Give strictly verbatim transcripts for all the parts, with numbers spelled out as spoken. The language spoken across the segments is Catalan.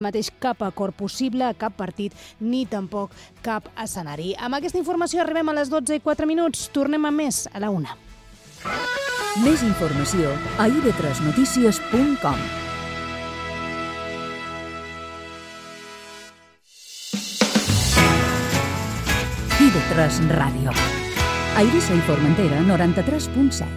mateix cap acord possible, cap partit, ni tampoc cap escenari. Amb aquesta informació arribem a les dotze i quatre minuts. Tornem amb més a la una. Més informació a i ve tres notícies punt com. i ve tres Ràdio. A Eivissa i Formentera, noranta-tres punt set.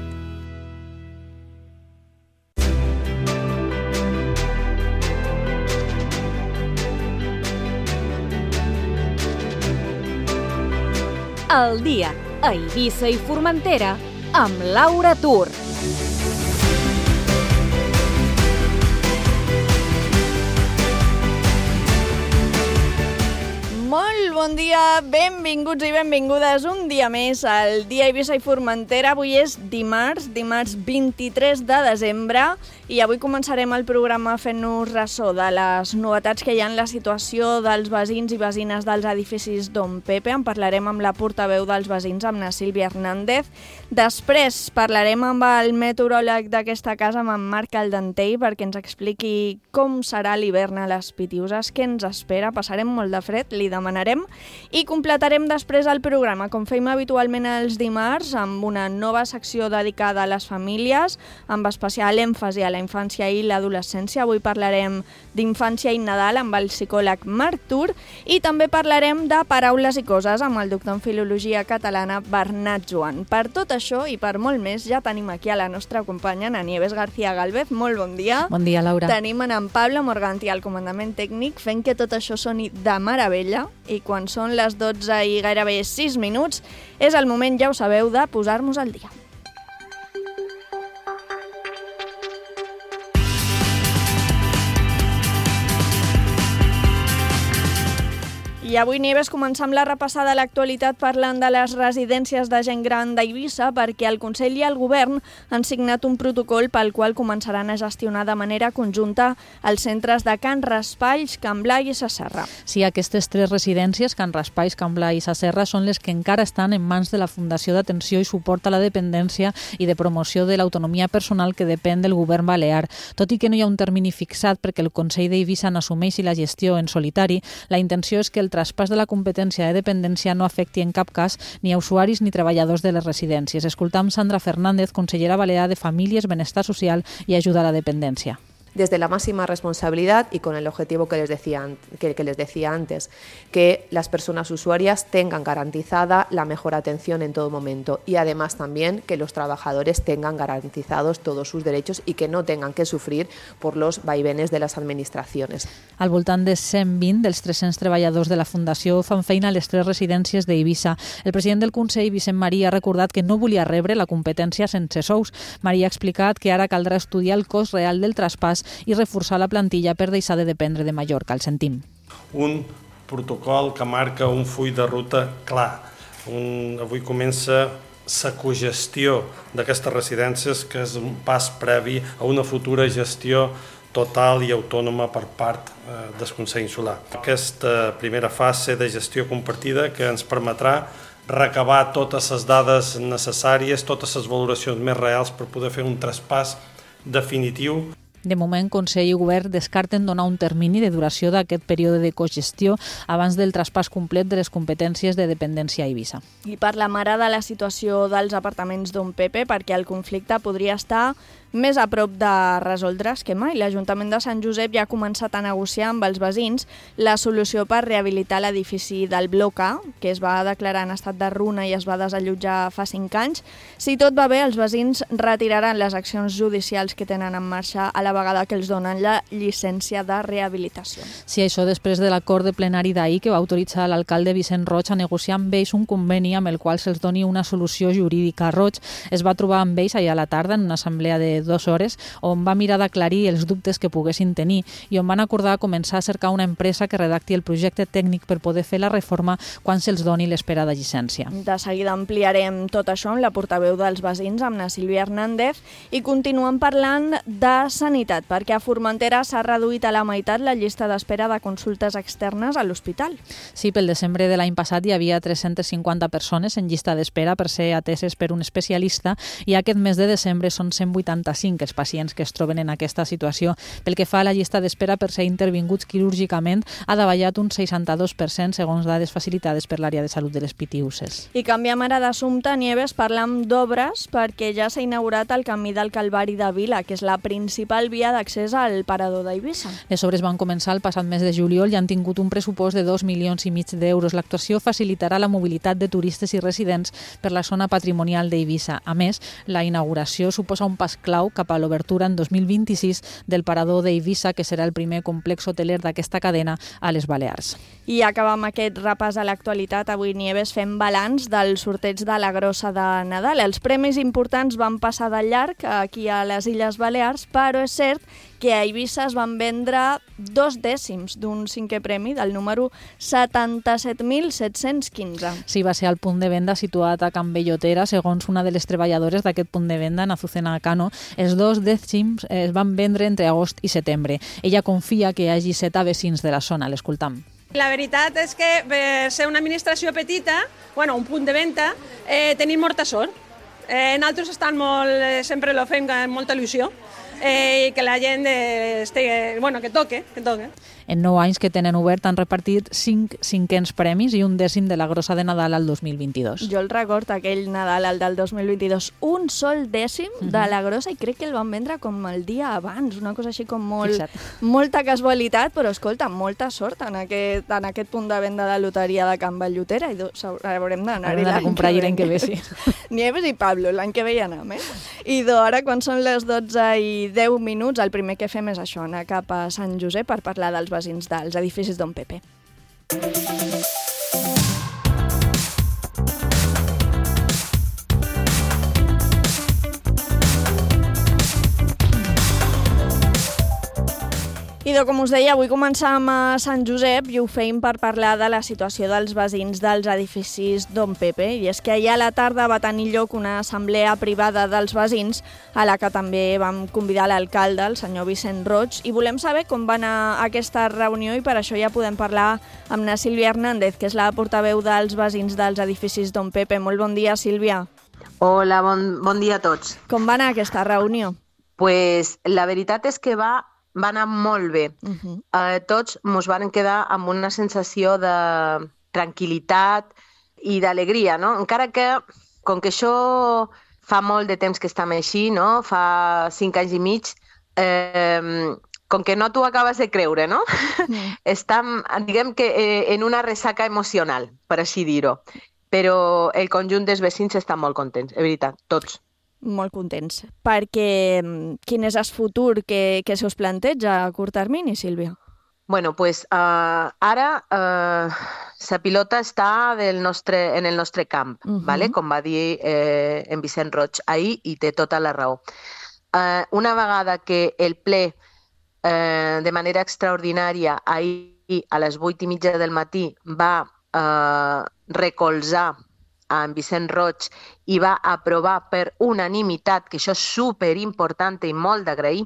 El dia a Eivissa i Formentera amb Laura Tur. Molt bon dia, benvinguts i benvingudes un dia més al dia a Eivissa i Formentera. Avui és dimarts, dimarts vint-i-tres de desembre, i avui començarem el programa fent-nos ressò de les novetats que hi ha en la situació dels veïns i veïnes dels edificis Don Pepe. En parlarem amb la portaveu dels veïns, amb la Sílvia Hernández. Després parlarem amb el meteoròleg d'aquesta casa, amb en Marc Aldentell, perquè ens expliqui com serà l'hivern a les Pitiuses, què ens espera. Passarem molt de fred, li demanarem, i completarem després el programa, com fem habitualment els dimarts, amb una nova secció dedicada a les famílies, amb especial èmfasi a la infància i l'adolescència. Avui parlarem d'infància i Nadal amb el psicòleg Marc Tur, i també parlarem de paraules i coses amb el doctor en Filologia Catalana Bernat Joan. Per tot això i per molt més, ja tenim aquí a la nostra companya, en Nieves García Gálvez. Molt bon dia. Bon dia, Laura. Tenim en Pablo Morganti al comandament tècnic, fent que tot això soni de meravella, i quan són les dotze i gairebé sis minuts, és el moment, ja ho sabeu, de posar-nos al dia. I avui, Nieves, començam la repassada de l'actualitat parlant de les residències de gent gran d'Eivissa, perquè el Consell i el Govern han signat un protocol pel qual començaran a gestionar de manera conjunta els centres de Can Raspalls, Can Blai i Sa Serra. Sí, aquestes tres residències, Can Raspalls, Can Blai i Sa Serra, són les que encara estan en mans de la Fundació d'Atenció i Suport a la Dependència i de Promoció de l'Autonomia Personal, que depèn del Govern Balear. Tot i que no hi ha un termini fixat perquè el Consell d'Eivissa n'assumeixi la gestió en solitari, la intenció és que el traspàs de la competència de dependència no afecti en cap cas ni a usuaris ni treballadors de les residències. Escoltam Sandra Fernández, consellera balear de Famílies, Benestar Social i Ajuda a la Dependència. Desde la máxima responsabilidad y con el objetivo que les decía, que, que les decía antes, que las personas usuarias tengan garantizada la mejor atención en todo momento, y además también que los trabajadores tengan garantizados todos sus derechos y que no tengan que sufrir por los vaivenes de las administraciones. Al voltant de cent vint dels tres-cents treballadors de la Fundació fan feina a les tres residències d'Eivissa. El president del Consell, Vicent Marí, ha recordat que no volia rebre la competència sense sous. Marí ha explicat que ara caldrà estudiar el cost real del traspàs i reforçar la plantilla per deixar de dependre de Mallorca. El sentim. Un protocol que marca un full de ruta clar. Un, avui comença la cogestió d'aquestes residències, que és un pas previ a una futura gestió total i autònoma per part eh, del Consell Insular. Aquesta primera fase de gestió compartida que ens permetrà recabar totes les dades necessàries, totes les valoracions més reals per poder fer un traspàs definitiu. De moment, Consell i Govern descarten donar un termini de duració d'aquest període de cogestió abans del traspàs complet de les competències de dependència a Eivissa. I parlem ara de la situació dels apartaments Don Pepe, perquè el conflicte podria estar més a prop de resoldre's que mai. L'Ajuntament de Sant Josep ja ha començat a negociar amb els veïns la solució per rehabilitar l'edifici del Bloc A, que es va declarar en estat de runa i es va desallotjar fa cinc anys. Si tot va bé, els veïns retiraran les accions judicials que tenen en marxa a la vegada que els donen la llicència de rehabilitació. Sí, això després de l'acord de plenari d'ahir que va autoritzar l'alcalde Vicent Roig a negociar amb ells un conveni amb el qual se'ls doni una solució jurídica. Roig es va trobar amb ells ahir a la tarda en una assemblea de dues hores on va mirar d'aclarir els dubtes que poguessin tenir i on van acordar començar a cercar una empresa que redacti el projecte tècnic per poder fer la reforma quan se'ls doni l'esperada llicència. De seguida ampliarem tot això amb la portaveu dels veïns, amb la Sílvia Hernández, i continuem parlant de sanitat, perquè a Formentera s'ha reduït a la meitat la llista d'espera de consultes externes a l'hospital. Sí, pel desembre de l'any passat hi havia tres-centes cinquanta persones en llista d'espera per ser ateses per un especialista i aquest mes de desembre són cent vuitanta setanta-cinc els pacients que es troben en aquesta situació. Pel que fa a la llista d'espera per ser intervinguts quirúrgicament, ha davallat un seixanta-dos per cent segons dades facilitades per l'àrea de salut de les Pitiüses. I canviem ara d'assumpte, Nieves, parlam d'obres perquè ja s'ha inaugurat el camí del Calvari de Vila, que és la principal via d'accés al parador d'Eivissa. Les obres van començar el passat mes de juliol i han tingut un pressupost de dos milions i mig d'euros. L'actuació facilitarà la mobilitat de turistes i residents per la zona patrimonial d'Eivissa. A més, la inauguració suposa un pas clau cap a l'obertura en dos mil vint-i-sis del parador d'Eivissa, que serà el primer complex hoteler d'aquesta cadena a les Balears. I acabam aquest repàs a l'actualitat. Avui, Nieves, fem balanç del sorteig de la Grossa de Nadal. Els premis importants van passar de llarg aquí a les Illes Balears, però és cert que a Eivissa es van vendre dos dècims d'un cinquè premi del número setanta-set mil set-cents quinze. Sí, va ser el punt de venda situat a Can Bellotera. Segons una de les treballadores d'aquest punt de venda, Azucena Cano, els dos dècims es van vendre entre agost i setembre. Ella confia que hi hagi set vecins de la zona. L'escoltam. La veritat és que per ser una administració petita, bueno, un punt de venda, eh, tenim molta sort. Eh, nosaltres estan molt, eh, sempre lo fem amb molta il·lusió, eh, i que la gent eh, estigui, bueno, que toque, que toque. En nou anys que tenen obert han repartit cinc cinquens premis i un dècim de la Grossa de Nadal al dos mil vint-i-dos. Jo el record aquell Nadal, el del dos mil vint-i-dos, un sol dècim uh -huh. de la Grossa, i crec que el van vendre com el dia abans, una cosa així com molt, molta casualitat, però escolta, molta sort en aquest, en aquest punt de venda de loteria de Can Bellotera, i haurem d'anar-hi l'any que, l'any que ve. Sí. Nieves i Pablo, l'any que ve hi anem, eh? I ara, quan són les dotze i deu minuts, el primer que fem és això, anar cap a Sant Josep per parlar dels vecins dels edificis Don Pepe. Idò, com us deia, avui començam a Sant Josep i ho feim per parlar de la situació dels vecins dels edificis Don Pepe. I és que ahir a la tarda va tenir lloc una assemblea privada dels vecins a la que també vam convidar l'alcalde, el senyor Vicent Roig, i volem saber com va anar aquesta reunió, i per això ja podem parlar amb na Sílvia Hernández, que és la portaveu dels vecins dels edificis Don Pepe. Molt bon dia, Sílvia. Hola, bon, bon dia a tots. Com va anar aquesta reunió? Pues la veritat és que va va anar molt bé. Uh-huh. eh, tots ens van quedar amb una sensació de tranquil·litat i d'alegria, no? Encara que, com que això fa molt de temps que estem així, no? Fa cinc anys i mig, eh, com que no t'ho acabes de creure, no? Uh-huh. Estem, diguem que, eh, en una ressaca emocional, per així dir-ho. Però el conjunt dels vecins estan molt contents, és veritat, tots. Molt contents, perquè quin és el futur que, que se us planteja a curt termini, Sílvia? Bueno, pues uh, ara uh, la pilota està del nostre, en el nostre camp, uh-huh. ¿vale? Com va dir eh, en Vicent Roig ahir, i té tota la raó. Uh, una vegada que el ple, eh, de manera extraordinària, ahir a les vuit i mitja del matí va uh, recolzar en Vicent Roig i va aprovar per unanimitat, que això és superimportant i molt d'agrair,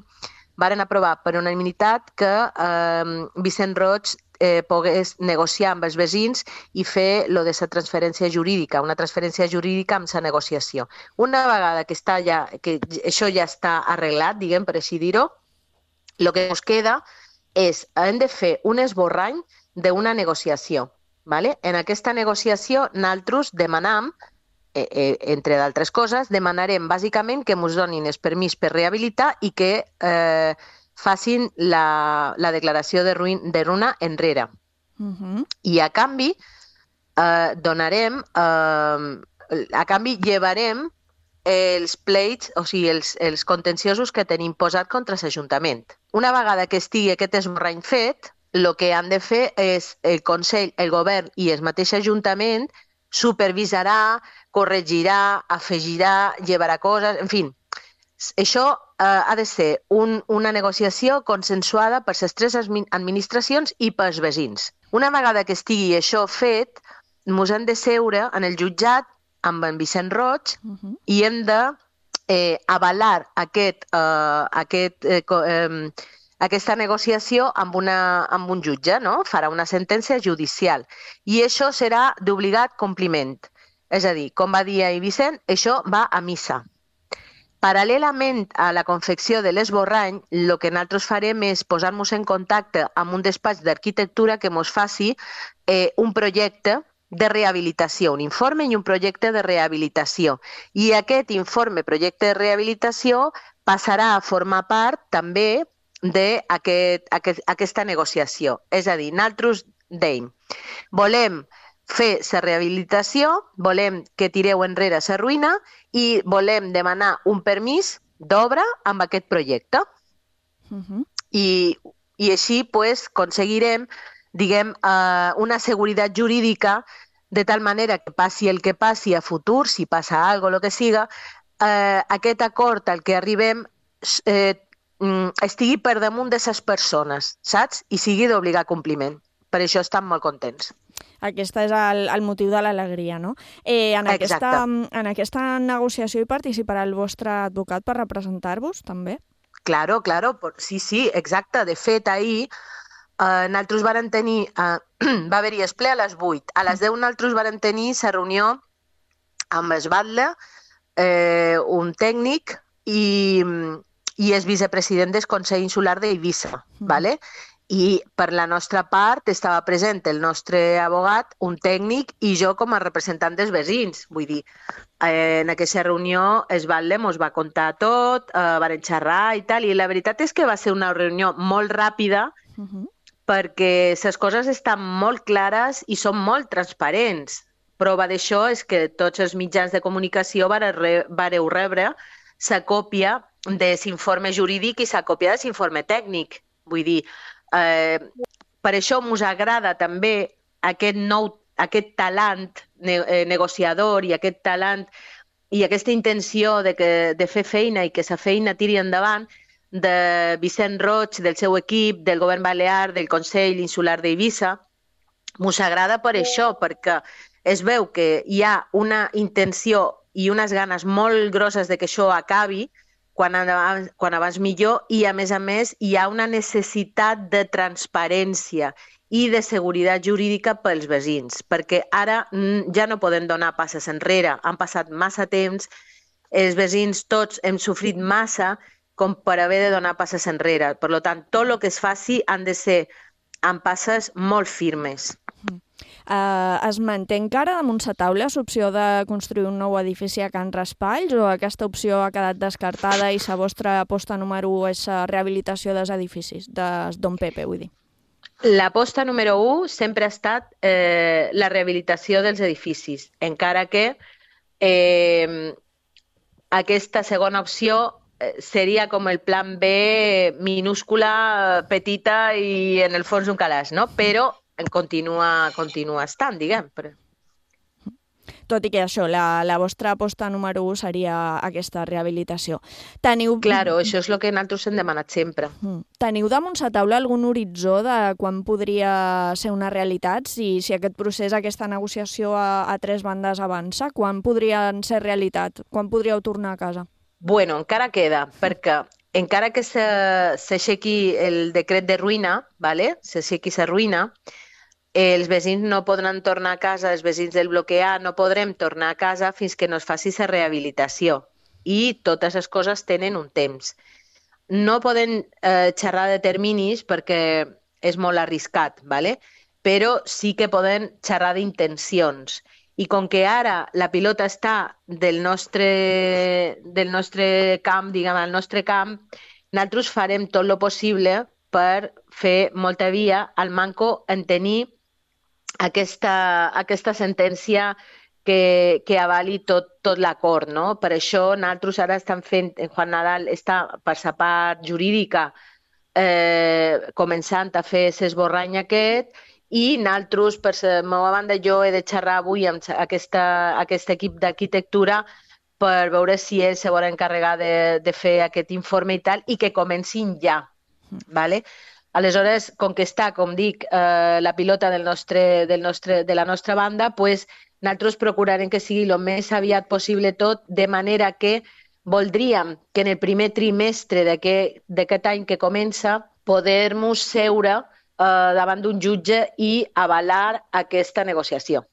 varen aprovar per unanimitat que eh, Vicent Roig eh, pogués negociar amb els vecins i fer lo de la transferència jurídica, una transferència jurídica amb la negociació. Una vegada que, està ja, que això ja està arreglat, diguem, per així dir-ho, el que ens queda és, hem de fer un esborrany d'una negociació. Vale? En aquesta negociació nosaltres demanam, eh, eh, entre d'altres coses, demanarem bàsicament que ens donin el permís per rehabilitar i que eh, facin la, la declaració de, ruïn, de runa enrere. Uh-huh. I a canvi eh, donarem, eh, a canvi llevarem els pleits, o sigui, els, els contenciosos que tenim posat contra l'Ajuntament. Una vegada que estigui aquest esborrany fet, el que han de fer és el Consell, el Govern i el mateix Ajuntament supervisarà, corregirà, afegirà, llevarà coses, en fi. Això eh, ha de ser un, una negociació consensuada per les tres administracions i pels vecins. Una vegada que estigui això fet, ens hem de seure en el jutjat amb en Vicent Roig uh-huh. i hem de eh, avalar aquest, eh, aquest eh, eh, aquesta negociació amb, una, amb un jutge, no? Farà una sentència judicial. I això serà d'obligat compliment. És a dir, com va dir ahir Vicent, això va a missa. Paral·lelament a la confecció de l'esborrany, el que nosaltres farem és posar-nos en contacte amb un despatx d'arquitectura que ens faci eh, un projecte de rehabilitació, un informe i un projecte de rehabilitació. I aquest informe, projecte de rehabilitació, passarà a formar part també d'aquesta aquest, aquest, negociació. És a dir, nosaltres dèiem, volem fer la rehabilitació, volem que tireu enrere la ruïna i volem demanar un permís d'obra amb aquest projecte. Uh-huh. I, I així pues, aconseguirem diguem, eh, una seguretat jurídica de tal manera que passi el que passi a futur, si passa alguna cosa, el que siga, eh, aquest acord al que arribem eh, estigui per damunt de les persones, saps? I sigui d'obligar compliment. Per això estan molt contents. Aquest és el, el motiu de l'alegria, no? Eh, en, aquesta, en aquesta negociació hi participarà el vostre advocat per representar-vos, també? Claro, claro, sí, sí, exacte. De fet, ahir eh, nosaltres varen tenir, eh, va haver-hi el ple a les vuit. A les deu nosaltres varen tenir la reunió amb el batlle, eh, un tècnic i, i el vicepresident del Consell Insular d'Eivissa, mm. ¿vale? I per la nostra part estava present el nostre abogat, un tècnic i jo com a representant dels veïns. Vull dir, eh, en aquesta reunió el batlle ens va contar tot, eh, van xerrar i tal, i la veritat és que va ser una reunió molt ràpida uh-huh. perquè les coses estan molt clares i són molt transparents. Prova d'això és que tots els mitjans de comunicació vareu rebre la còpia de l'informe jurídic i la còpia de l'informe tècnic. Vull dir, Eh, per això ens agrada també aquest nou, aquest talent ne eh, negociador i aquest talent i aquesta intenció de, que, de fer feina i que la feina tiri endavant de Vicent Roig, del seu equip, del govern balear, del Consell Insular d'Eivissa. Ens agrada per això, perquè es veu que hi ha una intenció i unes ganes molt grosses de que això acabi, Quan abans, quan abans millor, i a més a més hi ha una necessitat de transparència i de seguretat jurídica pels veïns, perquè ara ja no podem donar passes enrere, han passat massa temps, els veïns tots hem sofrit massa com per haver de donar passes enrere. Per tant, tot el que es faci han de ser amb passes molt firmes. Uh, es manté encara damunt la taula l'opció de construir un nou edifici a Can Raspalls o aquesta opció ha quedat descartada i la vostra aposta número u és la rehabilitació dels edificis, de Don Pepe, vull dir? L'aposta número u sempre ha estat eh, la rehabilitació dels edificis, encara que eh, aquesta segona opció eh, seria com el plan B minúscula, petita i en el fons un calaix, no? Però continua, continua estant, diguem. Tot i que això, la, la vostra aposta número u seria aquesta rehabilitació. Teniu... Claro, això és el que nosaltres hem demanat sempre. Teniu damunt la taula algun horitzó de quan podria ser una realitat? Si, si aquest procés, aquesta negociació a, a tres bandes avança, quan podrien ser realitat? Quan podríeu tornar a casa? Bueno, encara queda, perquè encara que s'aixequi el decret de ruïna, ¿vale? s'aixequi la ruïna, els veïns no podran tornar a casa, els veïns del bloc A no podrem tornar a casa fins que no es faci la rehabilitació. I totes les coses tenen un temps. No podem eh, xerrar de terminis perquè és molt arriscat, ¿vale? Però sí que podem xerrar d'intencions. I com que ara la pilota està del nostre, del nostre camp, diguem, al nostre camp, nosaltres farem tot el possible per fer molta via al manco en tenir aquesta, aquesta sentència que, que avali tot, tot l'acord, no? Per això nosaltres ara estem fent, Juan Nadal està per la part jurídica eh, començant a fer l'esborrany aquest i nosaltres, per la meva banda, jo he de xerrar avui amb aquesta, aquest equip d'arquitectura per veure si ells se volen encarregar de, de fer aquest informe i tal, i que comencin ja. ¿Vale? Aleshores, com que està, com dic, eh, la pilota del nostre, del nostre, de la nostra banda, pues, nosaltres procurarem que sigui el més aviat possible tot, de manera que voldríem que en el primer trimestre d'aquest any que comença poder-nos seure eh, davant d'un jutge i avalar aquesta negociació.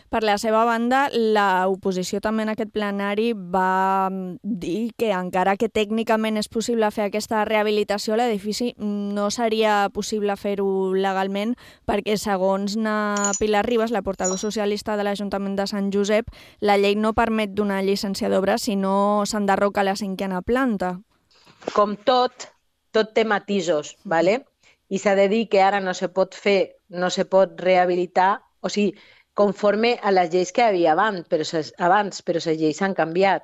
Per la seva banda, l'oposició també en aquest plenari va dir que encara que tècnicament és possible fer aquesta rehabilitació, l'edifici no seria possible fer-ho legalment perquè, segons na Pilar Ribas, la portaveu socialista de l'Ajuntament de Sant Josep, la llei no permet donar llicència d'obra si no s'enderroca la cinquena planta. Com tot, tot té matisos, ¿vale? I s'ha de dir que ara no se pot fer, no se pot rehabilitar, o sigui, conforme a les lleis que hi havia abans, però, abans, però les lleis s'han canviat,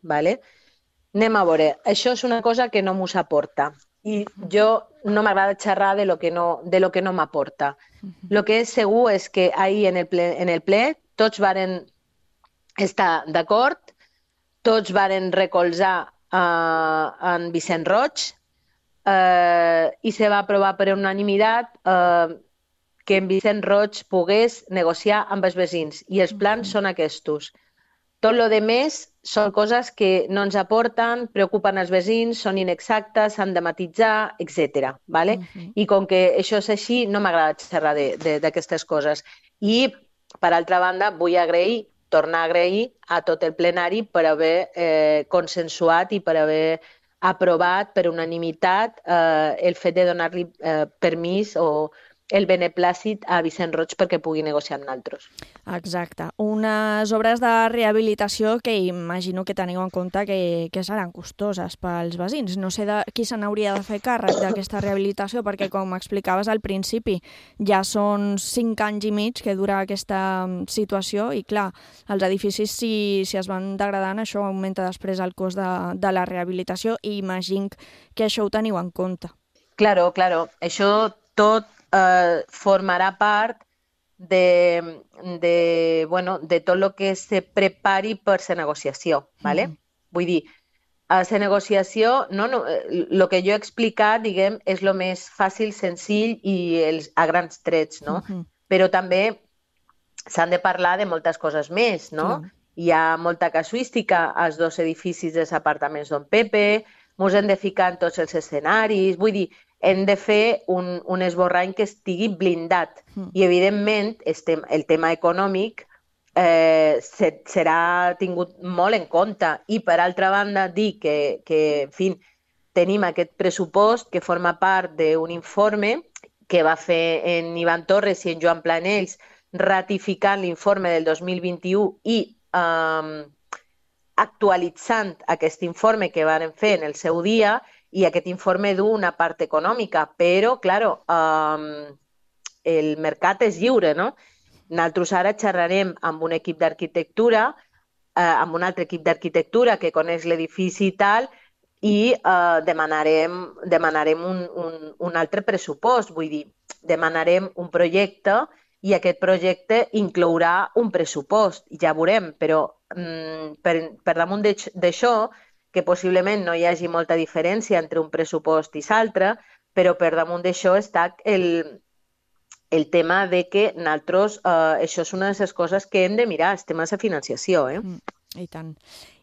¿vale? Anem a veure, això és una cosa que no m'ho aporta i jo no m'agrada xerrar de lo que no, de lo que no m'aporta. Lo que és segur és que ahir en el ple, en el ple tots varen estar d'acord, tots varen recolzar uh, en Vicent Roig uh, i se va aprovar per unanimitat uh, que en Vicent Roig pogués negociar amb els veïns i els plans són aquests. Tot lo de més són coses que no ens aporten, preocupen els veïns, són inexactes, s'han de matitzar, etcètera. ¿Vale? Uh-huh. I com que això és així, no m'agrada xerrar d'aquestes coses. I, per altra banda, vull agrair, tornar a agrair a tot el plenari per haver eh, consensuat i per haver aprovat per unanimitat eh, el fet de donar-li eh, permís o el beneplàcit a Vicent Roig perquè pugui negociar amb nosaltres. Exacte. Unes obres de rehabilitació que imagino que teniu en compte que, que seran costoses pels veïns. No sé de, qui se n'hauria de fer càrrec d'aquesta rehabilitació perquè, com explicaves al principi, ja són cinc anys i mig que dura aquesta situació i, clar, els edificis, si, si es van degradant, això augmenta després el cost de, de la rehabilitació i imagino que això ho teniu en compte. Claro, claro. Això tot Uh, formarà part de, de, bueno, de tot el que se prepari per la negociació. ¿Vale? Mm. Vull dir, a la negociació, no, no, el que jo he explicat, diguem, és el més fàcil, senzill i els, a grans trets, no? Mm-hmm. Però també s'han de parlar de moltes coses més, no? Mm. Hi ha molta casuística als dos edificis dels apartaments d'On Pepe, ens hem de ficar en tots els escenaris, vull dir, hem de fer un, un esborrany que estigui blindat. Mm. I, evidentment, estem, el tema econòmic eh, se, serà tingut molt en compte. I, per altra banda, dir que, que en fi, tenim aquest pressupost que forma part d'un informe que va fer en Ivan Torres i en Joan Planells ratificant l'informe del dos mil vint-i-u i eh, actualitzant aquest informe que van fer en el seu dia. I aquest informe du una part econòmica, però, claro, um, el mercat és lliure, no? Nosaltres ara xerrarem amb un equip d'arquitectura, eh, amb un altre equip d'arquitectura que coneix l'edifici i tal, i eh, demanarem, demanarem un, un, un altre pressupost, vull dir, demanarem un projecte i aquest projecte inclourà un pressupost, ja veurem, però mm, per, per damunt d'això, que possiblement no hi hagi molta diferència entre un pressupost i l'altre, però per damunt d'això està el, el tema de que nosaltres, eh, això és una de les coses que hem de mirar, el tema de la financiació. Eh? Mm, I tant.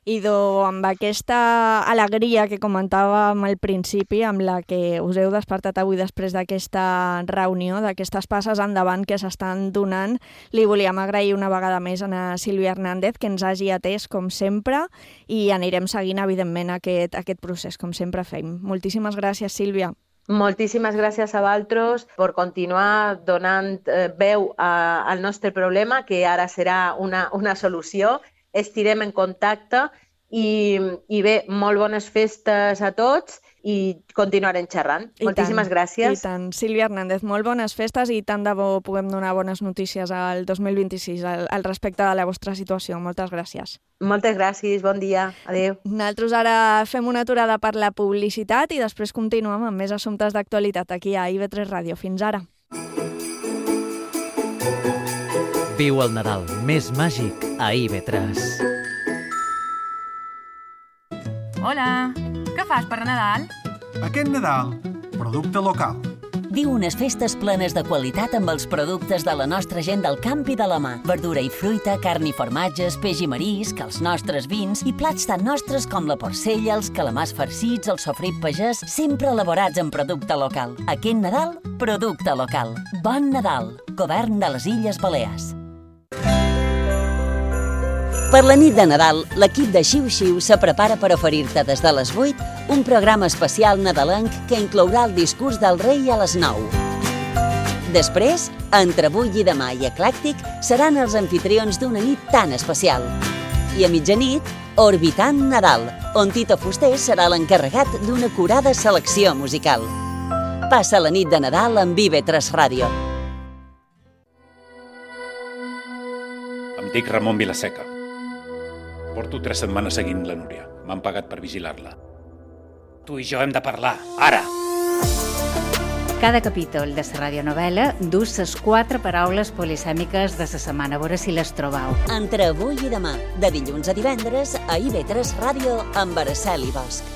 I amb aquesta alegria que comentàvem al principi, amb la que us heu despertat avui després d'aquesta reunió, d'aquestes passes endavant que s'estan donant, li volíem agrair una vegada més a Sílvia Hernández que ens hagi atès, com sempre, i anirem seguint, evidentment, aquest, aquest procés, com sempre fem. Moltíssimes gràcies, Sílvia. Moltíssimes gràcies a vosaltres per continuar donant eh, veu a, al nostre problema, que ara serà una, una solució. Estirem en contacte i, i bé, molt bones festes a tots i continuarem xerrant. I Moltíssimes tant, gràcies. I tant. Sílvia Hernández, molt bones festes i tant de bo puguem donar bones notícies al dos mil vint-i-sis al, al respecte de la vostra situació. Moltes gràcies. Moltes gràcies, bon dia. Adéu. Nosaltres ara fem una aturada per la publicitat i després continuem amb més assumptes d'actualitat aquí a I V tres Ràdio. Fins ara. Viu el Nadal més màgic a I V tres. Hola, què fas per Nadal? Aquest Nadal, producte local. Viu unes festes plenes de qualitat amb els productes de la nostra gent del camp i de la mà. Verdura i fruita, carn i formatges, peix i marisc, els nostres vins i plats tan nostres com la porcella, els calamars farcits, el sofrit pagès, sempre elaborats en producte local. Aquest Nadal, producte local. Bon Nadal. Govern de les Illes Balears. Per la nit de Nadal, l'equip de Xiu Xiu se prepara per oferir-te des de les vuit un programa especial nadalenc que inclourà el discurs del rei a les nou. Després, entre avui i demà i Eclèctic, seran els anfitrions d'una nit tan especial. I a mitjanit, Orbitant Nadal, on Tito Fuster serà l'encarregat d'una acurada selecció musical. Passa la nit de Nadal amb I V tres Ràdio. Em dic Ramon Vilaseca. Porto tres setmanes seguint la Núria. M'han pagat per vigilar-la. Tu i jo hem de parlar, ara! Cada capítol de la radionovel·la dus les quatre paraules polisèmiques de la setmana. A veure si les trobeu. Entre avui i demà, de dilluns a divendres, a I V tres Ràdio amb Araceli Bosch.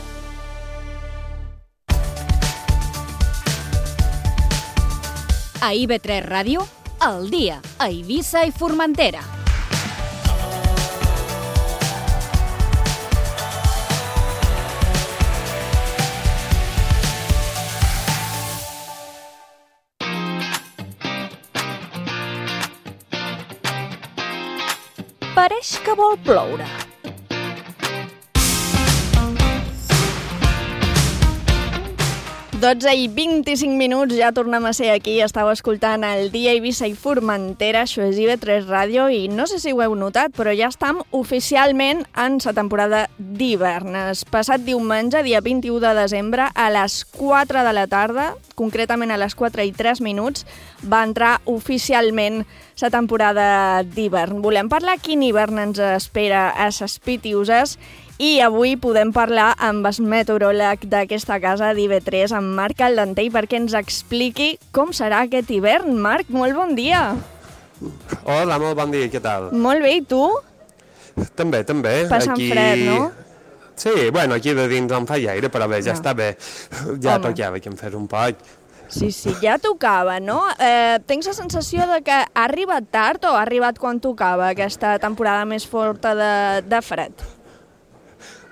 A I V tres Ràdio, al dia, a Eivissa i Formentera. Pareix que vol ploure. dotze i vint-i-cinc minuts, ja tornem a ser aquí. Estàu escoltant el Dia Eivissa i Formentera, això és I V tres Ràdio, i no sé si ho heu notat, però ja estem oficialment en la temporada d'hivern. El passat diumenge, dia vint-i-u de desembre, a les quatre de la tarda, concretament a les quatre i tres minuts, va entrar oficialment la temporada d'hivern. Volem parlar quin hivern ens espera a ses Pitiuses, i avui podem parlar amb el meteoròleg d'aquesta casa d'I V tres, en Marc Caldentell, perquè ens expliqui com serà aquest hivern. Marc, molt bon dia. Hola, molt bon dia, què tal? Molt bé, i tu? També, també. Passant aquí... fred, no? Sí, bueno, aquí de dins em fa aire, però bé, ja no. Està bé. Ja Home. Tocava que em fes un poc. Sí, sí, ja tocava, no? Eh, tens la sensació de que ha arribat tard o ha arribat quan tocava aquesta temporada més forta de, de fred?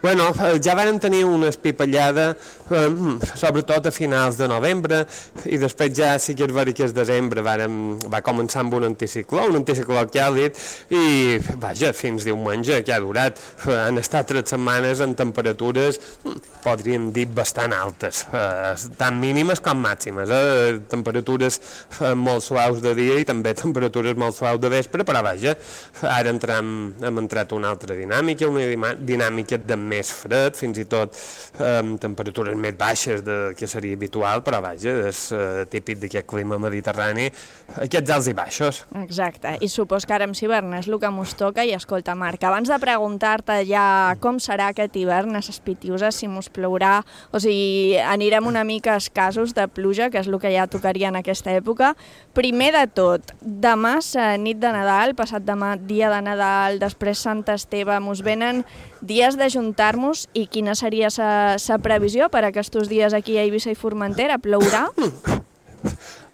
Bueno, ja vam tenir una espipallada, eh, sobretot a finals de novembre, i després ja sí que és veritat que el desembre vàrem, va començar amb un anticicló, un anticicló càlid, i vaja, fins diumenge que ha durat. Han estat tres setmanes en temperatures, podríem dir, bastant altes, eh, tant mínimes com màximes, eh, temperatures eh, molt suaus de dia i també temperatures molt suaus de vespre, però vaja, ara entram, hem entrat una altra dinàmica, una dinàmica de més fred, fins i tot amb eh, temperatures més baixes de, que seria habitual, però vaja, és eh, típic d'aquest clima mediterrani, aquests alts i baixos. Exacte, i supos que ara amb l'hivern és el que mos toca. I escolta, Marc, abans de preguntar-te ja com serà aquest hivern a ses Pitiuses, si mos plourà o si anirem una mica escassos de pluja, que és el que ja tocaria en aquesta època, primer de tot, demà és nit de Nadal, passat demà dia de Nadal, després Sant Esteve, mos venen dies d'ajuntar-nos, i quina seria la previsió per aquests dies aquí a Eivissa i Formentera? Plourà?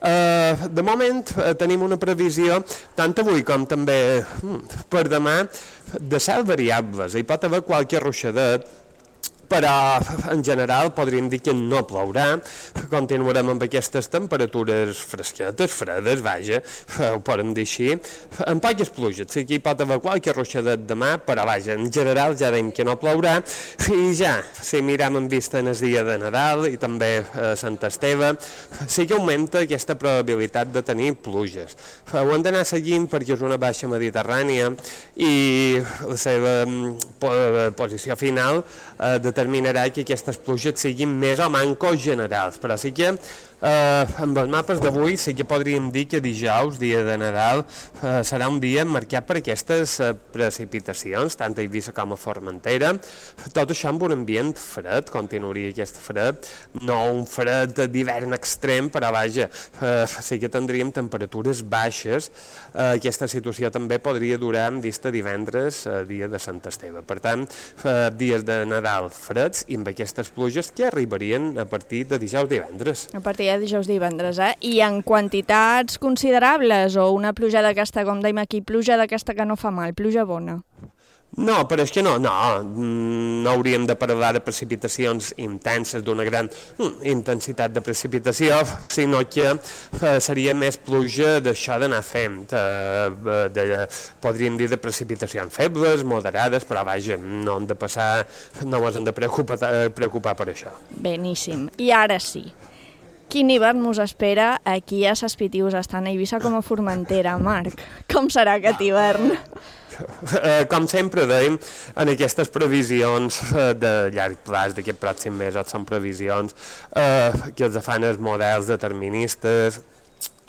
Uh, de moment uh, tenim una previsió, tant avui com també uh, per demà, de cel variables. Hi pot haver qualque ruixadet, però en general podríem dir que no plourà. Continuarem amb aquestes temperatures fresquetes, fredes, vaja, ho podem dir així, amb poques pluges. Sí que hi pot haver qualque ruixadet demà, però vaja, en general ja dèiem que no plourà. I ja, si mirem en vista en el dia de Nadal i també a Sant Esteve, sí que augmenta aquesta probabilitat de tenir pluges. Ho hem d'anar seguint perquè és una baixa mediterrània i la seva posició final eh, determinarà que aquestes pluges siguin més o manco generals, però sí que eh, amb els mapes d'avui sí que podríem dir que dijous, dia de Nadal, eh, serà un dia marcat per aquestes eh, precipitacions, tant a Eivissa com a Formentera, tot això amb un ambient fred, continuaria aquest fred, no un fred d'hivern extrem, però vaja, eh, sí que tindríem temperatures baixes. Eh, aquesta situació també podria durar en vista divendres, eh, dia de Sant Esteve. Per tant, eh, dies de Nadal freds i amb aquestes pluges que arribarien a partir de dijous divendres. A partir de dijous divendres, eh? I en quantitats considerables o una pluja d'aquesta, com dèiem aquí, pluja d'aquesta que no fa mal, pluja bona? No, però és que no, no, no hauríem de parlar de precipitacions intenses, d'una gran mm, intensitat de precipitació, sinó que eh, seria més pluja d'això d'anar fent, eh, de, podríem dir de precipitacions febles, moderades, però vaja, no hem de passar, no ens hem de preocupar, preocupar per això. Beníssim. I ara sí, quin hivern us espera aquí a Ses Pitius, tant a Eivissa com a Formentera, Marc? Com serà aquest hivern? Eh, com sempre dèiem, en aquestes previsions eh, de llarg plaç d'aquest pròxim mes, són previsions eh, que els fan els models deterministes,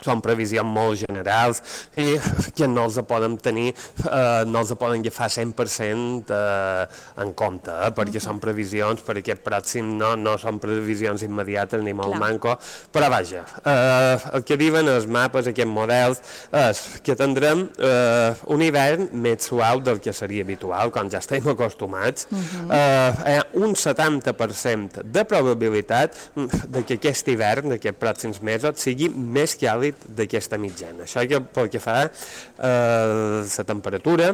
són previsions molt generals i que no els poden tenir, eh, no els poden agafar cent per cent eh, en compte, eh, perquè són previsions per aquest pròxim, no, no són previsions immediates ni molt Clar. manco, però vaja, eh, el que diuen els mapes, aquests models, és que tindrem eh, un hivern més suau del que seria habitual, com ja estem acostumats, uh-huh. eh, un setanta per cent de probabilitat de que aquest hivern, d'aquests pròxims mesos, sigui més càlid d'aquesta mitjana. Això que pel que fa a eh, la temperatura